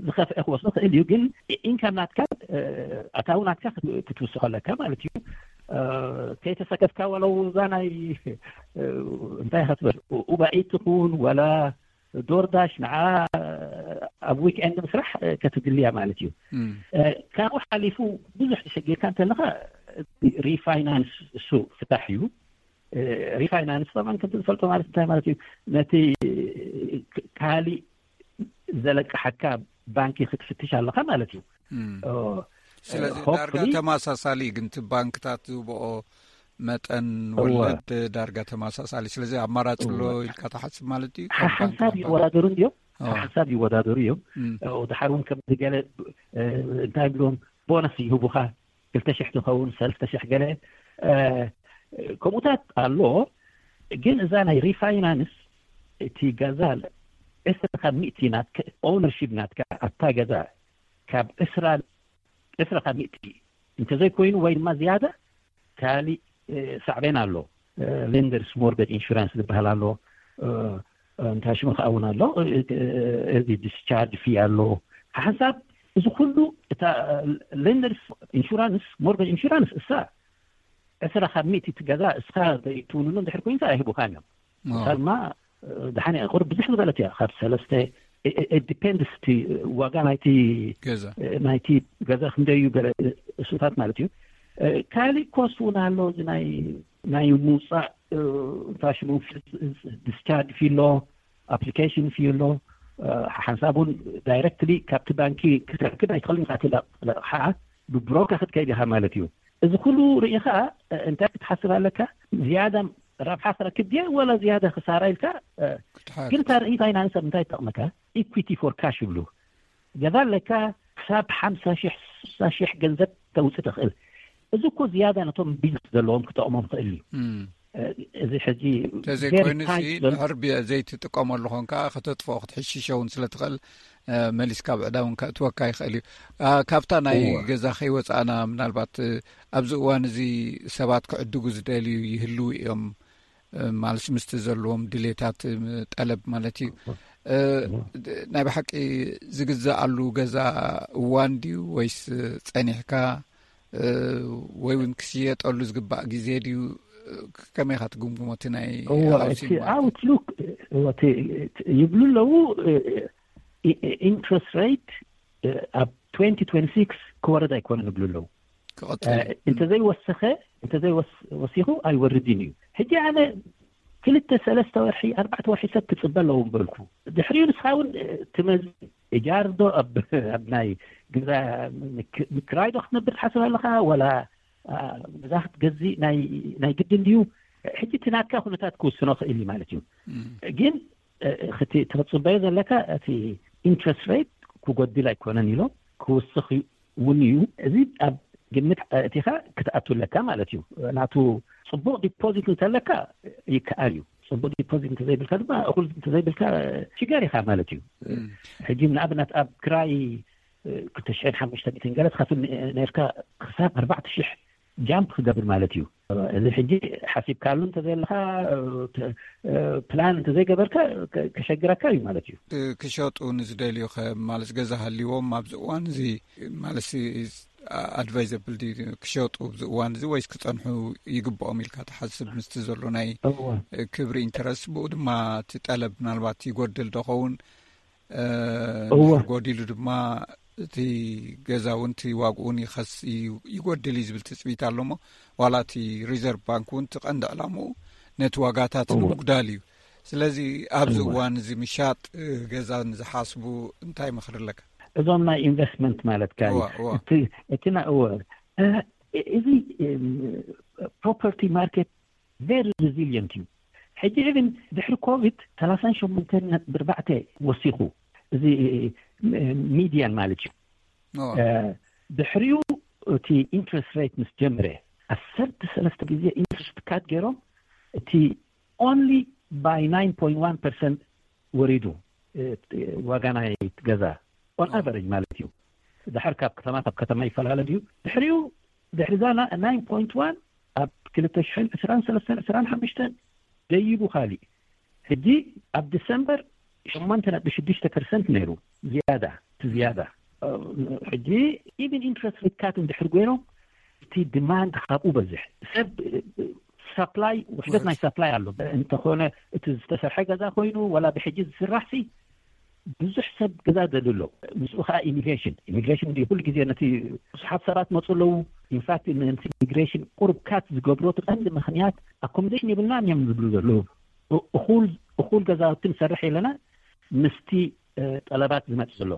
ዝኸፍአ ክወስዶ ክእል እዩ። ግን ኢንካም ናትካ ኣታዊ ናትካ ክትውስኸለካ ማለት እዩ። ከይተሰከፍካ ወለው እዛ ናይ እንታይ ክትበል ኡባኢት ትኹን ወላ ዶርዳሽ ንዓ ኣብ ዊክኤንድ ምስራሕ ከትድልያ ማለት እዩ። ካብኡ ሓሊፉ ብዙሕ ተሸጊርካ እንተለካ ሪፋይናንስ እሱ ፍታሕ እዩ። ሪፋይናንስ ጠማን ከምቲ ዝፈልጦ ማለት እንታይ ማለት እዩ? ነቲ ካሊእ ዘለቅሓካ ባንኪ ክትፍትሽ ኣለካ ማለት እዩ። ስለዚ ዳርጋ ተመሳሳሊ ግን እቲ ባንክታት ዝህብኦ መጠን ወለድ ዳርጋ ተመሳሳሊ። ስለዚ ኣማራፂ ኣሎ ኢልካ ትሓስብ ማለት እዩ? ሓንሳብ ይወዳደሩ እንዲዮም። ሓንሳብ ይወዳደሩ እዮም። ድሓር እውን ከምዚ ገለ እንታይ ብሎም ቦነስ ይህቡኻ ክልተ ሽሕ ትኸውን ሰለስተ ሽሕ ገለ ከምኡታት ኣሎ። ግን እዛ ናይ ሪፋይናንስ እቲ ገዛ ዕስራ ካብ ሚእቲ ናትካ ኦነርሺፕ ናትካ ኣብታ ገዛ ካብ ዕስራ ዕስራ ካብ ሚእቲ እንተዘይኮይኑ ወይ ድማ ዝያዳ ካሊእ ሳዕቤን ኣሎ። ሌንደርስ ሞርገጅ ኢንሹራንስ ዝበሃል ኣሎ። እንታይ ሽሙ ከኣ እውን ኣሎ። እዚ ዲስቻርጅ ፊ ኣሎ። ሓንሳብ እዚ ኩሉ እታ ሌንደርስ ኢንሹራንስ ሞርገጅ ኢንሹራንስ እሳ ዕስራ ካብ ሚእቲ እቲ ገዛ እስኻ ዘይትውንኑ እንድሕር ኮይንካ ኣይህቡኻን እዮም። እሳ ድማ ደሓን እያ ቁሩብ ብዝሕ ዝበለት እያ ካብ ሰለስተ ዲፔንድስ እቲ ዋጋ ናይቲ ናይቲ ገዛ ክንደይ እዩ ገለ እሱታት ማለት እዩ። ካሊእ ኮስት እውን ኣሎ እዚ ናይ ናይ ምውፃእ እንታይ ሽሙ ዲስቻርጅ ፊ ኣሎ ኣፕሊኬሽን ፊ ኣሎ። ሓንሳብ እውን ዳይረክትሊ ካብቲ ባንኪ ክትረክብ ኣይትኽእልን ኢኻ። እቲ ለቕሓ ብብሮከር ክትከይድ ኢኻ ማለት እዩ። እዚ ኩሉ ርኢኻ እንታይ ክትሓስብ ኣለካ? ዝያዳ ረብሓ ክረክብ ድየ ወላ ዝያዳ ክሳራ ኢልካ። ግን እታ ርኢታ ኢና ንሰብ እንታይ ትጠቕመካ? ኢኩዊቲ ፎር ካሽ ይብሉ። ገዛ ኣለካ ክሳብ ሓምሳ ሽሕ ስሳ ሽሕ ገንዘብ ተውፅእ ትኽእል። እዚ እኮ ዝያዳ ነቶም ቢዝነስ ዘለዎም ክጠቕሞም ክእል እዩ። እዚ ሕጂ እንተዘይኮይኑ ሲ ድሕር ዘይትጥቀመሉ ኾንካ ከተጥፍኦ ክትሕሽሸ እውን ስለ ትኽእል፣ መሊስካ ብዕዳ እውን ከእትወካ ይኽእል እዩ። ካብታ ናይ ገዛ ከይወፃእና፣ ምናልባት ኣብዚ እዋን እዚ ሰባት ክዕድጉ ዝደልዩ ይህልዉ እዮም፣ ማለት ምስቲ ዘለዎም ድሌታት፣ ጠለብ ማለት እዩ። ናይ ብሓቂ ዝግዛኣሉ ገዛ እዋን ድዩ ወይስ ፀኒሕካ ወይ እውን ክሽየጠሉ ዝግባእ ግዜ ድዩ? ከመይ ኢኻ ትግምግሞ? እቲ ናይ outlook ይብሉ ኣለዉ። ኢንትረስት ሬት ኣብ twenty twenty six ክወርድ ኣይኮነን ይብሉ ኣለዉ። እንተዘይወሰኸ እንተዘይወሲኹ ኣይወርድን እዩ። ሕጂ ኣነ ክልተ ሰለስተ ወርሒ ኣርባዕተ ወርሒ ሰብ ክፅበ ኣለዎ ምበልኩ። ድሕሪኡ ንስኻ እውን ትመዝ እጃር ዶ ኣብ ናይ ገዛ ምክራይ ዶ ክትነብር ትሓስብ ኣለኻ፣ ወላ ገዛ ክትገዝእ ናይ ግድን ድዩ? ሕጂ እቲ ናትካ ኩነታት ክውስኖ ክእል እዩ ማለት እዩ። ግን እቲ ትፅበዮ ዘለካ እቲ ኢንትረስት ሬት ክጎድል ኣይኮነን ኢሎም ክውስኽ እውን እዩ። እዚ ኣብ ግምት እቲኻ ክትኣቱ ኣለካ ማለት እዩ። ናቱ ፅቡቕ ዲፖዚት እንተለካ ይከኣል እዩ። ፅቡቕ ዲፖዚት እንተዘይብልካ ድማ እኹል እንተዘይብልካ ሽገር ኢኻ ማለት እዩ። ሕጂ ንኣብነት ኣብ ክራይ ክልተ ሽሕን ሓሙሽተ ሚእትን ገለ ትኸፍል ነርካ ክሳብ ኣርባዕተ ሽሕ ጃምፕ ክገብር ማለት እዩ። እዚ ሕጂ ሓሲብካሉ እንተዘየለካ ፕላን እንተዘይገበርካ ከሸግረካ እዩ ማለት እዩ። ክሸጡ ንዝደልዩ ከ ማለት ገዛ ሃልዎም ኣብዚ እዋን እዚ ማለት ኣድቫይዘብል ክሸጡ ኣብዚ እዋን እዚ ወይስ ክፀንሑ ይግብኦም ኢልካ ትሓስብ? ምስቲ ዘሎ ናይ ክብሪ ኢንተረስት ብኡ ድማ እቲ ጠለብ ምናልባት ይጎድል ዶኸውን? ጎዲሉ ድማ እቲ ገዛ እውን እቲ ዋግኡ እውን ይኸስ ይጎድል እዩ ዝብል ትፅቢት ኣሎ። እሞ ዋላ እቲ ሪዘርቭ ባንክ እውን እቲ ቀንዲ ዕላምኡ ነቲ ዋጋታት ንምጉዳል እዩ። ስለዚ ኣብዚ እዋን እዚ ምሻጥ ገዛ ንዝሓስቡ እንታይ ምኽሪ ኣለካ? እዞም ናይ ኢንቨስትመንት ማለትካ እዩ። እቲ እዚ ፕሮፐርቲ ማርኬት ቨሪ ሪዚሊየንት እዩ። ሕጂ ኢቭን ድሕሪ ኮቪድ ሰላሳን ሸሞንተን ነጥቢ ኣርባዕተ ወሲኹ፣ እዚ ሚድያን ማለት እዩ። ድሕሪኡ እቲ ኢንትረስት ሬት ምስ ጀምረ ዓሰርተ ሰለስተ ግዜ ኢንትረስት ካት ገይሮም፣ እቲ ኦንሊ ባይ ናይን ፖይንት ዋን ፐርሰንት ወሪዱ ዋጋ ናይ ገዛ ኦን ኣቨሬጅ ማለት እዩ። ድሓር ካብ ከተማ ካብ ከተማ ይፈላለ ድዩ? ድሕሪኡ ድሕሪ እዛ ናይን ፖይንት ዋን ኣብ ክልተ ሽሕን ዕስራን ሰለስተን ዕስራን ሓሙሽተን ደይቡ ካሊእ። ሕጂ ኣብ ዲሰምበር ሸሞንተ ነጥቢ ሽዱሽተ ፐርሰንት ነይሩ ዝያዳ፣ እቲ ዝያዳ። ሕጂ ኢቭን ኢንትረስት ሬት ካት እንድሕር ገይሮም እቲ ዲማንድ ካብኡ በዝሕ ሰብ ሳፕላይ ውሕደት ናይ ሳፕላይ ኣሎ። እንተኾነ እቲ ዝተሰርሐ ገዛ ኮይኑ ዋላ ብሕጂ ዝስራሕ ሲ ብዙሕ ሰብ ገዛ ደልዩ ኣሎ። ምስኡ ከዓ ኢሚግሬሽን ኢሚግሬሽን እንዲ ኩሉ ግዜ ነቲ ብዙሓት ሰባት መፁ ኣለዉ። ኢንፋክት ነቲ ኢሚግሬሽን ቁሩብ ካት ዝገብሮ እቲ ቀንዲ ምክንያት ኣኮሞዴሽን የብልናን እዮም ዝብሉ ዘለዉ። እኹል እኹል ገዛውቲ ንሰርሕ የለና ምስቲ ጠለባት ዝመፅ ዘሎ።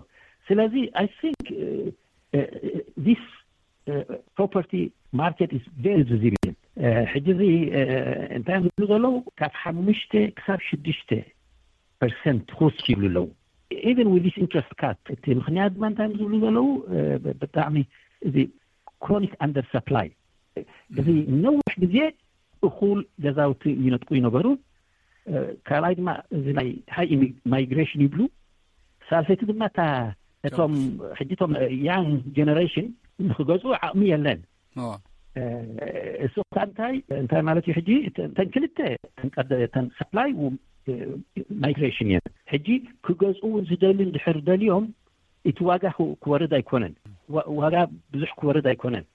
ስለዚ I think this property market is very resilient። ሕጂ እዚ እንታይ እዮም ዝብሉ ዘለዉ? ካብ ሓሙሽተ ክሳብ ሽዱሽተ ፐርሰንት ክውስክ ይብሉ ኣለዉ። Even with this interest cut፣ እቲ ምክንያት ድማ እንታይ እዮም ዝብሉ ዘለዉ? ብጣዕሚ እዚ ክሮኒክ ኣንደር ሰፕላይ፣ እዚ ነዊሕ ግዜ እኹል ገዛውቲ ይነጥቁ ይነበሩ። ካልኣይ ድማ እዚ ናይ ሃይ ማይግሬሽን ይብሉ። ሳልሰይቲ ድማ እታ እቶም ሕጂ እቶም ያንግ ጀነሬሽን ንክገዝኡ ዓቕሚ የለን። እሱ ከዓ እንታይ እንታይ ማለት እዩ? ሕጂ እተን ክልተ እተን ሳፕላይ ማይግሬሽን እየን። ሕጂ ክገዝኡ ዝደሊ እንድሕር ደልዮም እቲ ዋጋ ክወርድ ኣይኮነን። ዋጋ ብዙሕ ክወርድ ኣይኮነን።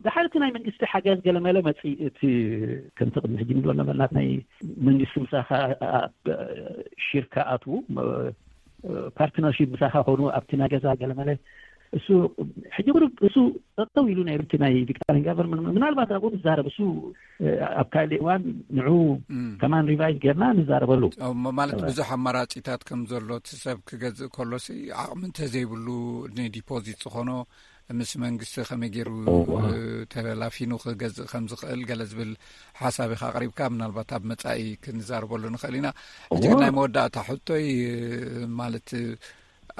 ድሓር እቲ ናይ መንግስቲ ሓገዝ ገለመለ መፅእ እቲ ከምቲ ቅድሚ ሕጂ ንብሎ ነበርና ናይ መንግስቲ ምሳኻ ሽርካ ኣትዉ ፓርትነርሺፕ ምሳኻ ኮኑ ኣብቲ ናይ ገዛ ገለመለ እሱ ሕጂ ቁሩብ እሱ ጠጠው ኢሉ ናይ ርቲ ናይ ቪክቶሪያን ጋቨርንመንት ምናልባት ኣብኡ ንዛረብ እሱ ኣብ ካልእ እዋን ንዑ ከማን ሪቫይዝ ጌርና ንዛረበሉ። ማለት ብዙሕ ኣማራፂታት ከም ዘሎ እቲ ሰብ ክገዝእ ከሎሲ ዓቕሚ እንተዘይብሉ ንዲፖዚት ዝኾኖ ምስ መንግስቲ ከመይ ገይሩ ተላፊኑ ክገዝእ ከም ዝኽእል ገለ ዝብል ሓሳብ ኢኻ ኣቕሪብካ። ምናልባት ኣብ መጻኢ ክንዛረበሉ ንኽእል ኢና። ሕጂ ግን ናይ መወዳእታ ሕቶይ ማለት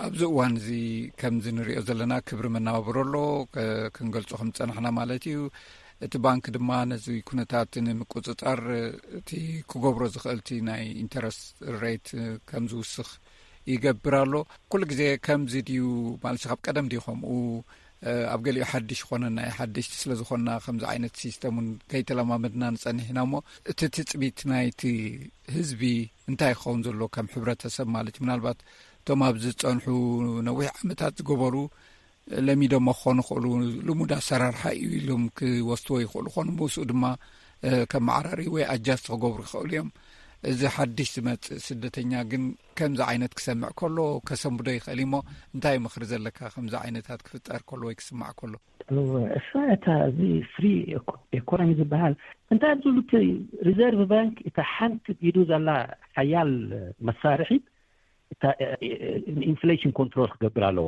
ኣብዚ እዋን እዚ ከምዚ ንሪኦ ዘለና ክብሪ መናባብሮ ኣሎ፣ ክንገልጾ ከም ዝጸናሕና ማለት እዩ። እቲ ባንክ ድማ ነዚ ኩነታት ንምቁጽጻር እቲ ክገብሮ ዝኽእል እቲ ናይ ኢንተረስት ሬት ከም ዝውስኽ ይገብር ኣሎ። ኩሉ ግዜ ከምዚ ድዩ ማለት ካብ ቀደም ድዩ ከምኡ? ኣብ ገሊኡ ሓድሽ ይኾነና እዩ። ሓደሽቲ ስለ ዝኾንና ከምዚ ዓይነት ሲስተም እውን ከይተለማመድና ንጸንሕ ኢና እሞ፣ እቲ ትጽቢት ናይቲ ህዝቢ እንታይ ክኸውን ዘሎ ከም ሕብረተሰብ ማለት እዩ? ምናልባት እቶም ኣብዚ ዝጸንሑ ነዊሕ ዓመታት ዝገበሩ ለሚዶሞ ክኾኑ ይኽእሉ፣ ልሙድ ኣሰራርሓ እዩ ኢሎም ክወስድዎ ይኽእሉ ኾኑ፣ ምስኡ ድማ ከመዓራርዩ ወይ ኣጃስት ክገብሩ ይኽእሉ እዮም። እዚ ሓድሽ ዝመጽእ ስደተኛ ግን ከምዚ ዓይነት ክሰምዕ ከሎ ከሰንብዶ ይኽእል እሞ፣ እንታይ ምኽሪ ዘለካ ከምዚ ዓይነታት ክፍጠር ከሎ ወይ ክስማዕ ከሎ? እወ፣ እሳ እታ እዚ ፍሪ ኢኮ-፣ ኢኮኖሚ ዝበሃል እንታይ ዝብሉ እቲ ሪዘርቭ ባንክ እታ ሓንቲ ኢዱ ዘላ ሓያል መሳርሒት እታ ኢንፍሌሽን ኮንትሮል ክገብር ኣለዎ።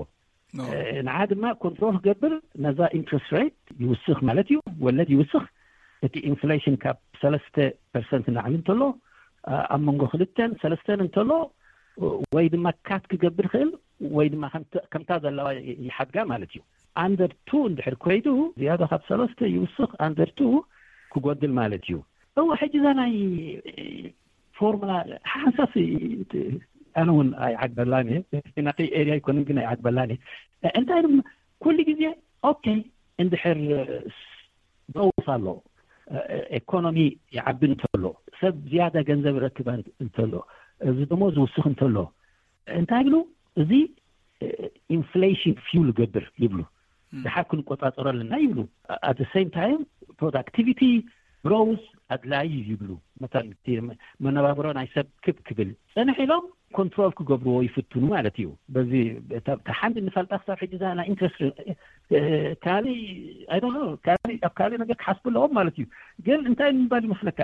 ኖ። ንዓ ድማ ኮንትሮል ክገብር ነዛ ኢንትረስት ሬት ይውስኽ ማለት እዩ፣ ወለድ ይውስኽ። እቲ ኢንፍሌሽን ካብ ሰለስተ ፐርሰንት ንላዕሊ እንተሎ፣ ኣብ መንጎ ክልተን ሰለስተን እንተሎ፣ ወይ ድማ ካት ክገብር ይኽእል ወይ ድማ ከምታ ዘለዋ ይሓድጋ ማለት እዩ። ኣንደር ቱ እንድሕር ኮይዱ ዝያዳ ካብ ሰለስተ ይውስኽ፣ ኣንደር ቱ ክጎድል ማለት እዩ። እወ፣ ሕጂ እዛ ናይ ፎርሙላ ሓንሳስ ኣነ እውን ኣይዓግበላን እየ። ናተይ ኤርያ ኣይኮነን ግን ኣይዓግበላን እየ። እንታይ ድማ ኩሉ ግዜ ኦኬ እንድሕር ብረውስ ኣሎ፣ ኢኮኖሚ ይዓቢ እንተሎ፣ ሰብ ዝያዳ ገንዘብ ረክበ እንተሎ፣ እዚ ደሞ ዝውስኽ እንተሎ እንታይ ይብሉ? እዚ ኢንፍሌሽን ፊውል ገብር ይብሉ። ድሓር ክንቆጻጸሮ ኣለና ይብሉ። ኣት ሴም ታይም ፕሮዳክቲቪቲ ግሮውስ ኣድላይ ይብሉ። መታን መነባብሮ ናይ ሰብ ክብ ክብል ጸንሕ ኢሎም ኮንትሮል ክገብርዎ ይፍትኑ ማለት እዩ። በዚ ሓንቲ ንፈልጣ ክሳብ ሕጂ ዛ ናይ ኢንትረስት ካሊ ኣይ ዶንት ኖ ካሊ ኣብ ካሊ ነገር ክሓስቡ ኣለዎም ማለት እዩ። ግን እንታይ ንምባል ይመስለካ?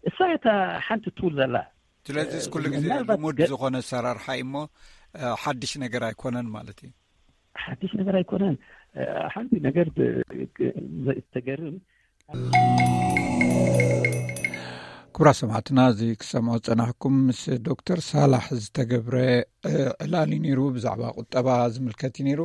እሳ እታ ሓንቲ ቱል ዘላ ስለዚ ኩሉ ግዜ ልሙድ ዝኾነ ኣሰራርሓ እዩ እሞ ሓድሽ ነገር ኣይኮነን ማለት እዩ። ሓድሽ ነገር ኣይኮነን። ሓንቲ ነገር ተገርም። ክቡራ ሰማዕትና፣ እዚ ክሰምዖ ዝጸናሕኩም ምስ ዶክተር ሳላሕ ዝተገብረ ዕላል እዩ ነይሩ። ብዛዕባ ቁጠባ ዝምልከት እዩ ነይሩ።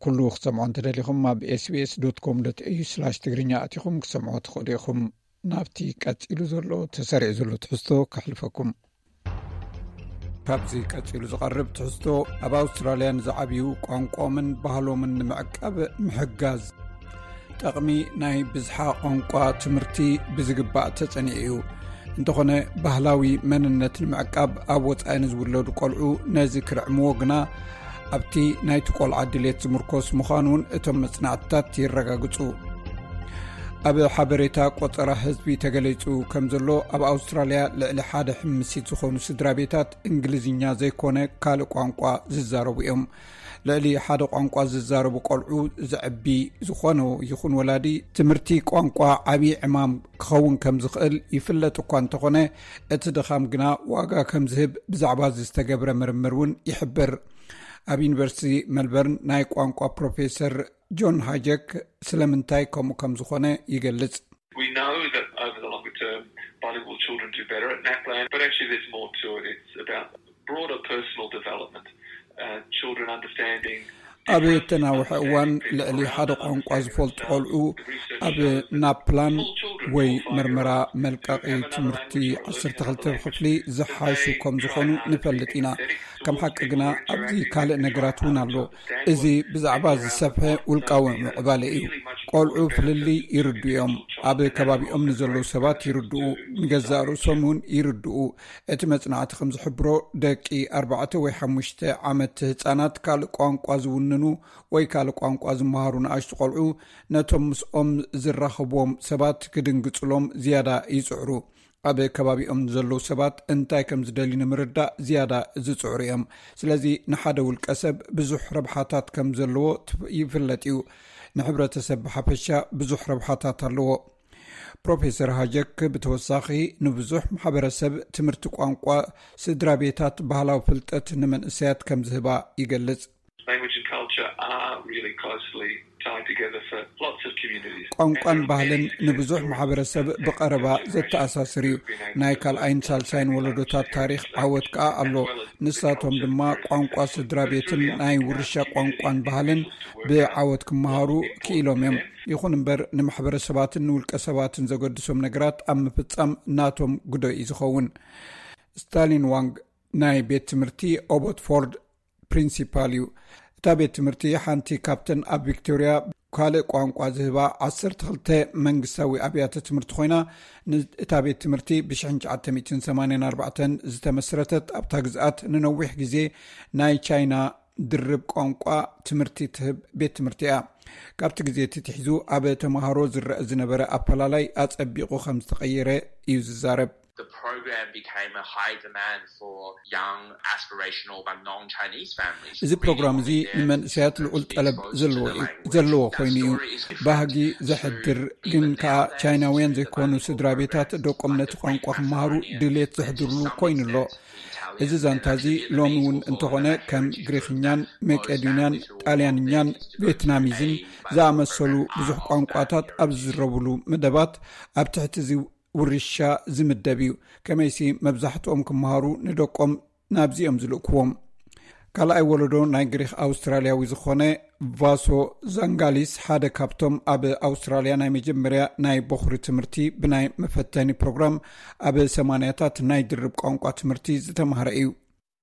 ኩሉ ክትሰምዖ እንተደሊኹም ኣብ ኤስቢኤስ ዶት ኮም ዶት ኤዩ ስላሽ ትግርኛ ኣቲኹም ክትሰምዖ ትኽእሉ ኢኹም። ናብቲ ቀጺሉ ዘሎ ተሰሪዑ ዘሎ ትሕዝቶ ከሕልፈኩም። ካብዚ ቀጺሉ ዝቐርብ ትሕዝቶ፣ ኣብ ኣውስትራልያ ንዝዓብዩ ቋንቋኦምን ባህሎምን ንምዕቃብ ምሕጋዝ። ጠቕሚ ናይ ብዝሓ ቋንቋ ትምህርቲ ብዝግባእ ተጸኒዑ እዩ። እንተኾነ ባህላዊ መንነት ንምዕቃብ ኣብ ወጻኢ ንዝውለዱ ቆልዑ ነዚ ክርዕምዎ ግና ኣብቲ ናይቲ ቆልዓ ድሌት ዝምርኮስ ምዃኑ እውን እቶም መጽናዕትታት የረጋግጹ። ኣብ ሓበሬታ ቆጸራ ህዝቢ ተገሊጹ ከም ዘሎ፣ ኣብ ኣውስትራልያ ልዕሊ ሓደ ሕምሲት ዝኾኑ ስድራ ቤታት እንግሊዝኛ ዘይኮነ ካልእ ቋንቋ ዝዛረቡ እዮም። ልዕሊ ሓደ ቋንቋ ዝዛረቡ ቆልዑ ዘዕቢ ዝኾነ ይኹን ወላዲ ትምህርቲ ቋንቋ ዓብዪ ዕማም ክኸውን ከም ዝኽእል ይፍለጥ እኳ እንተኾነ፣ እቲ ድኻም ግና ዋጋ ከም ዝህብ ብዛዕባ እዚ ዝተገብረ ምርምር እውን ይሕብር። ኣብ ዩኒቨርሲቲ መልበርን ናይ ቋንቋ ፕሮፌሰር ጆን ሃጀክ ስለምንታይ ከምኡ ከም ዝኾነ ይገልጽ። We know that over the longer term, bilingual children do better at NAPLAN, but actually there's more to it. It's about broader personal development, uh, children understanding ኣብ እተናውሐ እዋን ልዕሊ ሓደ ቋንቋ ዝፈልጡ ቆልዑ ኣብ ናፕላን ወይ መርመራ መልቀቒ ትምህርቲ ዓሰርተ ክልተ ክፍሊ ዝሓሹ ከም ዝኾኑ ንፈልጥ ኢና። ከም ሓቂ ግና ኣብዚ ካልእ ነገራት እውን ኣሎ። እዚ ብዛዕባ ዝሰፍሐ ውልቃዊ ምዕባለ እዩ። ቆልዑ ፍልልይ ይርድኡ እዮም። ኣብ ከባቢኦም ንዘለዉ ሰባት ይርድኡ፣ ንገዛእ ርእሶም እውን ይርድኡ። እቲ መጽናዕቲ ከም ዝሕብሮ፣ ደቂ ኣርባዕተ ወይ ሓሙሽተ ዓመት ህጻናት ካልእ ቋንቋ ዝውንኑ ወይ ካልእ ቋንቋ ዝመሃሩ ንኣሽቱ ቆልዑ፣ ነቶም ምስኦም ዝራኸብዎም ሰባት ክድንግጽሎም ዝያዳ ይጽዕሩ። ኣብ ከባቢኦም ንዘለዉ ሰባት እንታይ ከም ዝደልዩ ንምርዳእ ዝያዳ ዝጽዕሩ እዮም። ስለዚ ንሓደ ውልቀ ሰብ ብዙሕ ረብሓታት ከም ዘለዎ ትፍ-፣ ይፍለጥ እዩ። ንሕብረተሰብ ብሓፈሻ ብዙሕ ረብሓታት ኣለዎ። ፕሮፌሰር ሃጀክ ብተወሳኺ ንብዙሕ ማሕበረሰብ ትምህርቲ ቋንቋ ስድራ ቤታት ባህላዊ ፍልጠት ንመንእሰያት ከም ዝህባ ይገልጽ። Language and culture are really closely tied together for lots of communities. ቋንቋን ባህልን ንብዙሕ ማሕበረሰብ ብቐረባ ዘተኣሳስር እዩ። ናይ ካልኣይን ሳልሳይን ወለዶታት ታሪኽ ዓወት ከኣ ኣሎ። ንሳቶም ድማ ቋንቋ ስድራ ቤትን ናይ ውርሻ ቋንቋን ባህልን ብዓወት ክመሃሩ ክኢሎም እዮም። ይኹን እምበር ንማሕበረሰባትን ንውልቀ ሰባትን ዘገድሶም ነገራት ኣብ ምፍጻም ናቶም ግዶ እዩ ዝኸውን። ስታሊን ዋንግ ናይ ቤት ትምህርቲ ኦቦትፎርድ ፕሪንሲፓል እዩ። እታ ቤት ትምህርቲ ሓንቲ ካብተን ኣብ ቪክቶርያ ካልእ ቋንቋ ዝህባ ዓሰርተ ክልተ መንግስታዊ ኣብያተ ትምህርቲ ኮይና፣ እታ ቤት ትምህርቲ ብ1984 ዝተመስረተት ኣብታ ግዝኣት ንነዊሕ ግዜ ናይ ቻይና ድርብ ቋንቋ ትምህርቲ ትህብ ቤት ትምህርቲ እያ። ካብቲ ግዜ እቲ ትሒዙ ኣብ ተምሃሮ ዝረአ ዝነበረ ኣፈላላይ ኣጸቢቑ ከም ዝተቐየረ እዩ ዝዛረብ። The program became a high demand for young aspirational but non-Chinese families. እዚ ፕሮግራም እዚ ንመንእሰያት ልዑል ጠለብ ዘለዎ እዩ ዘለዎ ኮይኑ እዩ። ባህጊ ዘሕድር ግን ከዓ ቻይናውያን ዘይኮኑ ስድራ ቤታት ደቆም ነቲ ቋንቋ ክመሃሩ ድሌት ዘሕድርሉ ኮይኑ ኣሎ። እዚ ዛንታ እዚ ሎሚ እውን እንተኾነ ከም ግሪኽኛን መቄዶንያን ጣልያንኛን ቬትናሚዝን ዝኣመሰሉ ብዙሕ ቋንቋታት ኣብ ዝዝረብሉ መደባት ኣብ ትሕቲ እዚ ውርሻ ዝምደብ እዩ። ከመይሲ መብዛሕትኦም ክመሃሩ ንደቆም ናብዚኦም ዝልእክዎም። ካልኣይ ወለዶ ናይ ግሪኽ ኣውስትራልያዊ ዝኾነ ቫሶ ዛንጋሊስ ሓደ ካብቶም ኣብ ኣውስትራልያ ናይ መጀመርያ ናይ በኹሪ ትምህርቲ ብናይ መፈተኒ ፕሮግራም ኣብ ሰማንያታት ናይ ድርብ ቋንቋ ትምህርቲ ዝተማህረ እዩ።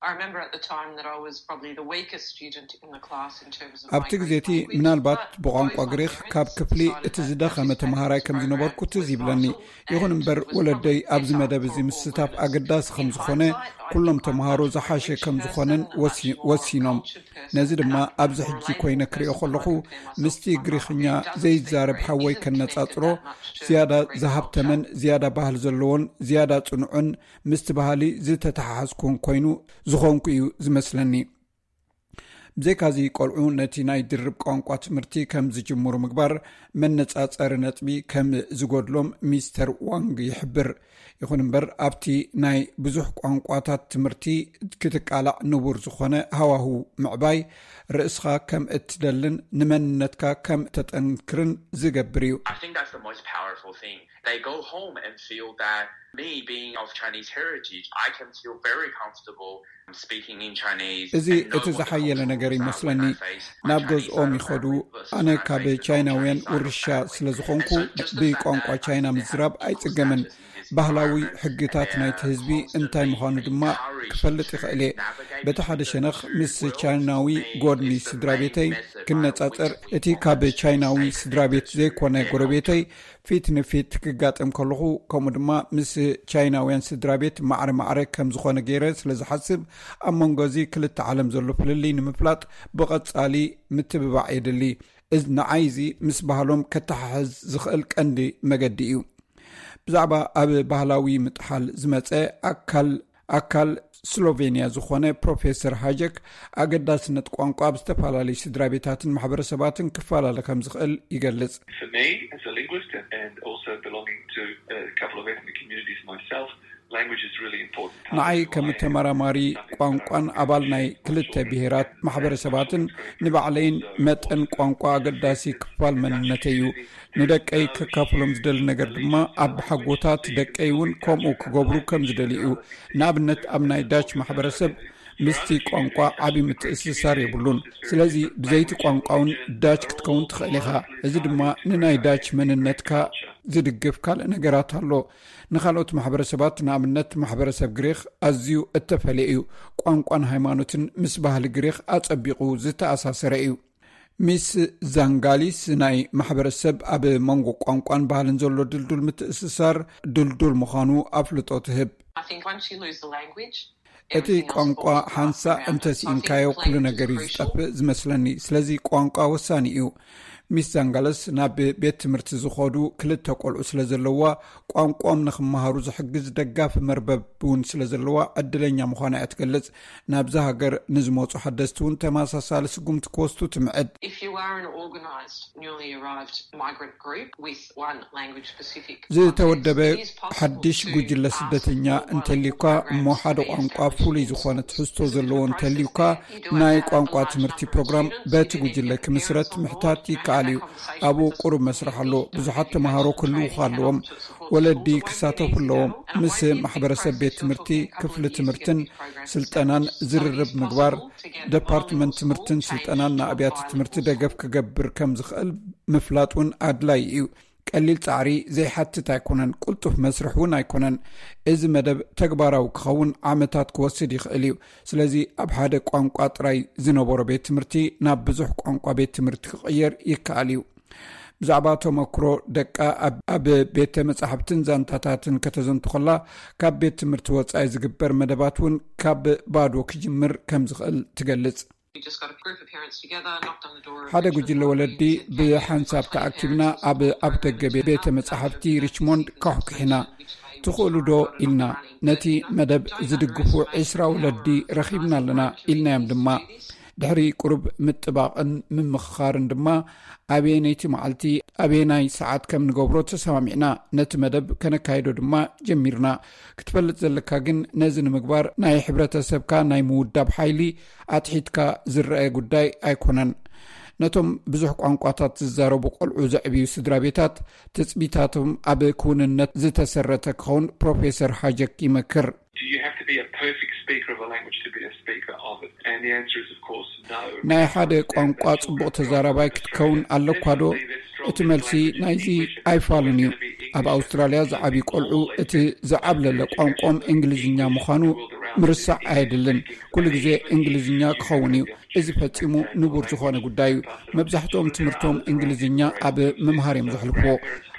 I remember at the time that I was probably the weakest student in the class in terms of my ኣብቲ ግዜ እቲ ምናልባት ብቋንቋ ግሪኽ ካብ ክፍሊ እቲ ዝደኸመ ተምሃራይ ከም ዝነበርኩ ትዝ ይብለኒ። ይኹን እምበር ወለደይ ኣብዚ መደብ እዚ ምስታፍ ኣገዳሲ ከም ዝኾነ፣ ኩሎም ተምሃሮ ዝሓሸ ከም ዝኾነን ወሲኖም። ነዚ ድማ ኣብዚ ሕጂ ኮይነ ክሪኦ ከለኹ ምስቲ ግሪኽኛ ዘይዛረብ ሓወይ ከነጻጽሮ ዝያዳ ዝሃብተመን ዝያዳ ባህል ዘለዎን ዝያዳ ጽኑዕን ምስቲ ባህሊ ዝተተሓሓዝኩን ኮይኑ ዝኾንኩ እዩ ዝመስለኒ። ብዘይካዚ ቆልዑ ነቲ ናይ ድርብ ቋንቋ ትምህርቲ ከም ዝጅምሩ ምግባር መነጻጸሪ ነጥቢ ከም ዝጎድሎም ሚስተር ዋንግ ይሕብር። ይኹን እምበር ኣብቲ ናይ ብዙሕ ቋንቋታት ትምህርቲ ክትቃላዕ ንቡር ዝኾነ ሃዋሁ ምዕባይ ርእስኻ ከም እትደልን ንመንነትካ ከም ተጠንክርን ዝገብር እዩ። I think that's the most powerful thing. They go home and feel that me being of Chinese heritage, I can feel very comfortable speaking in Chinese. እዚ እቲ ዝሓየለ ነገር ይመስለኒ። ናብ ገዝኦም ይኸዱ። ኣነ ካብ ቻይናውያን ውርሻ ስለ ዝኾንኩ ብቋንቋ ቻይና ምዝራብ ኣይጽገምን። ባህላዊ ሕግታት ናይቲ ህዝቢ እንታይ ምዃኑ ድማ ክፈልጥ ይኽእል እየ። በቲ ሓደ ሸነኽ ምስ ቻይናዊ ጎድኒ ስድራ ቤተይ ክነጻጸር፣ እቲ ካብ ቻይናዊ ስድራ ቤት ዘይኮነ ጎረቤተይ ፊት ንፊት ክጋጠም ከለኹ፣ ከምኡ ድማ ምስ ቻይናውያን ስድራ ቤት ማዕረ ማዕረ ከም ዝኾነ ገይረ ስለ ዝሓስብ፣ ኣብ መንጎ እዚ ክልተ ዓለም ዘሎ ፍልልይ ንምፍላጥ ብቐጻሊ ምትብባዕ የድሊ። እዚ ንዓይ እዚ ምስ ባህሎም ከተሓሕዝ ዝኽእል ቀንዲ መገዲ እዩ። ብዛዕባ ኣብ ባህላዊ ምጥሓል ዝመጸ ኣካል ኣካል ስሎቬንያ ዝኾነ ፕሮፌሰር ሃጀክ ኣገዳስነት ቋንቋ ኣብ ዝተፈላለዩ ስድራ ቤታትን ማሕበረሰባትን ክፈላለ ከም ዝኽእል ይገልጽ። For me, as a linguist and, and also belonging to a couple of ethnic communities myself, language is really important. ንዓይ ከም ተመራማሪ ቋንቋን ኣባል ናይ ክልተ ብሄራት ማሕበረሰባትን ንባዕለይን መጠን ቋንቋ ኣገዳሲ ክፋል መንነተይ እዩ። ንደቀይ ከካፍሎም ዝደሊ ነገር ድማ ኣብ ሓጎታት ደቀይ እውን ከምኡ ክገብሩ ከም ዝደሊ እዩ። ንኣብነት ኣብ ናይ ዳች ማሕበረሰብ ምስቲ ቋንቋ ዓቢ ምትእስሳር የብሉን። ስለዚ ብዘይቲ ቋንቋ እውን ዳች ክትከውን ትኽእል ኢኻ። እዚ ድማ ንናይ ዳች መንነትካ ዝድግፍ ካልእ ነገራት ኣሎ። ንኻልኦት ማሕበረሰባት ንኣብነት ማሕበረሰብ ግሪኽ ኣዝዩ እተፈለየ እዩ። ቋንቋን ሃይማኖትን ምስ ባህሊ ግሪኽ ኣጸቢቑ ዝተኣሳሰረ እዩ። ሚስ ዛንጋሊስ ናይ ማሕበረሰብ ኣብ መንጎ ቋንቋን ባህልን ዘሎ ድልዱል ምትእስሳር ድልዱል ምዃኑ ኣፍልጦ ትህብ። I think once you lose the language, እቲ ቋንቋ ሓንሳእ እንተስኢንካዮ ኩሉ ነገር እዩ ዝጠፍእ ዝመስለኒ። ስለዚ ቋንቋ ወሳኒ እዩ። ሚስ ዛንጋለስ ናብ ቤት ትምህርቲ ዝኸዱ ክልተ ቆልዑ ስለ ዘለዋ ቋንቋኦም ንክመሃሩ ዝሕግዝ ደጋፊ መርበብ እውን ስለ ዘለዋ ዕድለኛ ምዃና እያ ትገልጽ። ናብዛ ሃገር ንዝመፁ ሓደስቲ እውን ተመሳሳሊ ስጉምቲ ክወስዱ ትምዕድ። If you are an organised, newly arrived migrant group with one language specific ዝተወደበ ሓድሽ ጉጅለ ስደተኛ እንተልዩካ እሞ ሓደ ቋንቋ ፍሉይ ዝኾነ ትሕዝቶ ዘለዎ እንተልዩካ ናይ ቋንቋ ትምህርቲ ፕሮግራም በቲ ጉጅለ ክምስረት ምሕታት ይከኣል። ይከኣል እዩ። ኣብኡ ቁሩብ መስርሕ ኣሎ። ብዙሓት ተምሃሮ ክህልዉ ኣለዎም። ወለዲ ክሳተፉ ኣለዎም። ምስ ማሕበረሰብ ቤት ትምህርቲ፣ ክፍሊ ትምህርትን ስልጠናን ዝርርብ ምግባር፣ ደፓርትመንት ትምህርትን ስልጠናን ንኣብያተ ትምህርቲ ደገፍ ክገብር ከም ዝኽእል ምፍላጥ እውን ኣድላዪ እዩ። ቀሊል ጻዕሪ ዘይሓትት ኣይኮነን። ቅልጡፍ መስርሕ እውን ኣይኮነን። እዚ መደብ ተግባራዊ ክኸውን ዓመታት ክወስድ ይኽእል እዩ። ስለዚ ኣብ ሓደ ቋንቋ ጥራይ ዝነበሮ ቤት ትምህርቲ ናብ ብዙሕ ቋንቋ ቤት ትምህርቲ ክቕየር ይከኣል እዩ። ብዛዕባ ተመክሮ ደቃ ኣብ፣ ኣብ ቤተ መጻሕፍትን ዛንታታትን ከተዘንቱ ከላ፣ ካብ ቤት ትምህርቲ ወጻኢ ዝግበር መደባት እውን ካብ ባዶ ክጅምር ከም ዝኽእል ትገልጽ። We just got a group of parents together, knocked on the door of ሓደ ጉጅለ ወለዲ ብሓንሳብ ተኣኪብና ኣብ ኣፍደገ ቤተ መጻሕፍቲ ሪችሞንድ ካሕኩሒና። "ትኽእሉ ዶ?" ኢልና። "ነቲ መደብ ዝድግፉ ዕስራ ወለዲ ረኺብና ኣለና" ኢልናዮም ድማ። ድሕሪ ቁሩብ ምጥባቕን ምምኽኻርን ድማ፣ ኣበየነይቲ መዓልቲ ኣበየናይ ሰዓት ከም ንገብሮ ተሰማሚዕና። ነቲ መደብ ከነካይዶ ድማ ጀሚርና። ክትፈልጥ ዘለካ ግን፣ ነዚ ንምግባር ናይ ሕብረተሰብካ ናይ ምውዳብ ሓይሊ ኣትሒትካ ዝረአ ጉዳይ ኣይኮነን። ነቶም ብዙሕ ቋንቋታት ዝዛረቡ ቆልዑ ዘዕብዩ ስድራ ቤታት፣ ትጽቢታቶም ኣብ ክውንነት ዝተሰረተ ክኸውን ፕሮፌሰር ሃጀክ ይመክር። Do you have to be a perfect speaker of a language to be a speaker of it? And the answer is, of course, no. ናይ ሓደ ቋንቋ ጽቡቕ ተዛራባይ ክትከውን ኣለኳ ዶ? እቲ መልሲ ናይዚ ኣይፋሉን እዩ። ኣብ ኣውስትራልያ ዝዓብዩ ቆልዑ እቲ ዝዓብለለ ቋንቋኦም እንግሊዝኛ ምዃኑ ምርሳዕ ኣየድልን። ኩሉ ግዜ እንግሊዝኛ ክኸውን እዩ። እዚ ፈጺሙ ንቡር ዝኾነ ጉዳይ እዩ። መብዛሕትኦም ትምህርቶም እንግሊዝኛ ኣብ ምምሃር እዮም ዘሕልፍዎ።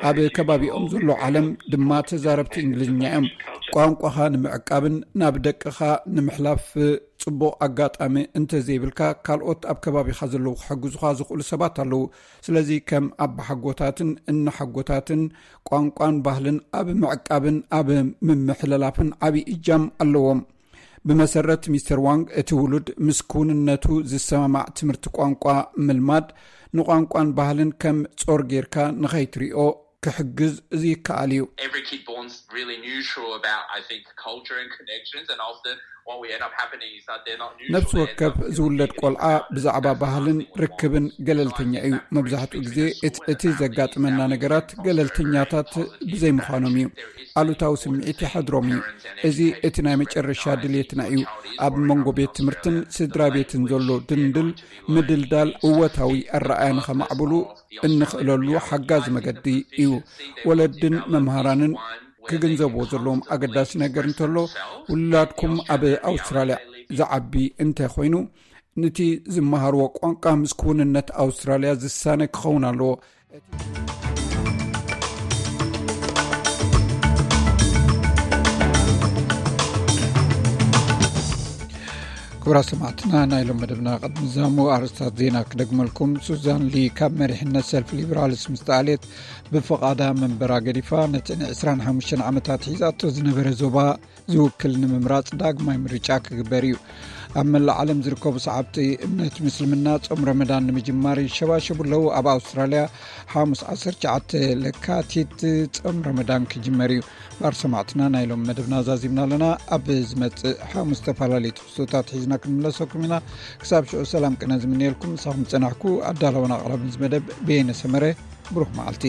ኣብ ከባቢኦም ዘሎ ዓለም ድማ ተዛረብቲ እንግሊዝኛ እዮም። ቋንቋኻ ንምዕቃብን ናብ ደቅኻ ንምሕላፍ ጽቡቕ ኣጋጣሚ እንተዘይብልካ፣ ካልኦት ኣብ ከባቢኻ ዘለዉ ክሕግዙኻ ዝኽእሉ ሰባት ኣለዉ። ስለዚ ከም ኣባሓጎታትን እናሓጎታትን ቋንቋን ባህልን ኣብ ምዕቃብን ኣብ ምምሕልላፍን ዓቢ እጃም ኣለዎም። ብመሰረት ሚስተር ዋንግ፣ እቲ ውሉድ ምስ ክውንነቱ ዝሰማማዕ ትምህርቲ ቋንቋ ምልማድ፣ ንቋንቋን ባህልን ከም ጾር ጌርካ ንኸይትሪኦ ክሕግዝ ይከኣል እዩ። Every kid born's really neutral about, I think, culture and connections, and often what we end up happening is that they're not neutral. ነፍሲ ወከፍ ዝውለድ ቆልዓ ብዛዕባ ባህልን ርክብን ገለልተኛ እዩ። መብዛሕትኡ ግዜ እቲ፣ እቲ ዘጋጥመና ነገራት ገለልተኛታት ብዘይምዃኖም እዩ። ኣሉታዊ ስምዒት ይሓድሮም እዩ። እዚ እቲ ናይ መጨረሻ ድሌትና እዩ። ኣብ መንጎ ቤት ትምህርትን ስድራ ቤትን ዘሎ ድንድል ምድልዳል እወታዊ ኣረኣያ ንኸማዕብሉ እንኽእለሉ ሓጋዚ መገዲ እዩ። ወለድን መምሃራንን ክግንዘብዎ ዘለዎም ኣገዳሲ ነገር እንተሎ፣ ውላድኩም ኣብ ኣውስትራልያ ዝዓቢ እንተ ኮይኑ፣ ነቲ ዝመሃርዎ ቋንቋ ምስ ክውንነት ኣውስትራልያ ዝሳነ ክኸውን ኣለዎ። ክቡራት ሰማዕትና፣ ናይ ሎም መደብና ቅድሚ ዛሙ ኣርእስታት ዜና ክደግመልኩም። ሱዛን ሊ ካብ መሪሕነት ሰልፊ ሊበራልስ ምስ ተኣልየት፣ ብፍቓዳ መንበራ ገዲፋ፣ ነቲ ን ዕስራን ሓሙሽተን ዓመታት ሒዛቶ ዝነበረ ዞባ ዝውክል ንምምራጽ ዳግማይ ምርጫ ክግበር እዩ። ኣብ መላእ ዓለም ዝርከቡ ሰዓብቲ እምነት ምስልምና ጾም ረመዳን ንምጅማር ይሸባሸቡ ኣለዉ። ኣብ ኣውስትራልያ ሓሙስ ዓሰርተ ትሽዓተ ለካቲት ጾም ረመዳን ክጅመር እዩ። ባር ሰማዕትና፣ ናይ ሎም መደብና ዛዚምና ኣለና። ኣብ ዝመጽእ ሓሙስ ዝተፈላለዩ ትሕዝቶታት ሒዝና ክንምለሰኩም ኢና። ክሳብ ሽዑ ሰላም ቅነ ዝምንየልኩም፣ ምሳኹም ዝጸናሕኩ ኣዳላውን ኣቕራብን እዚ መደብ በየነ ሰመረ። ብሩኽ መዓልቲ።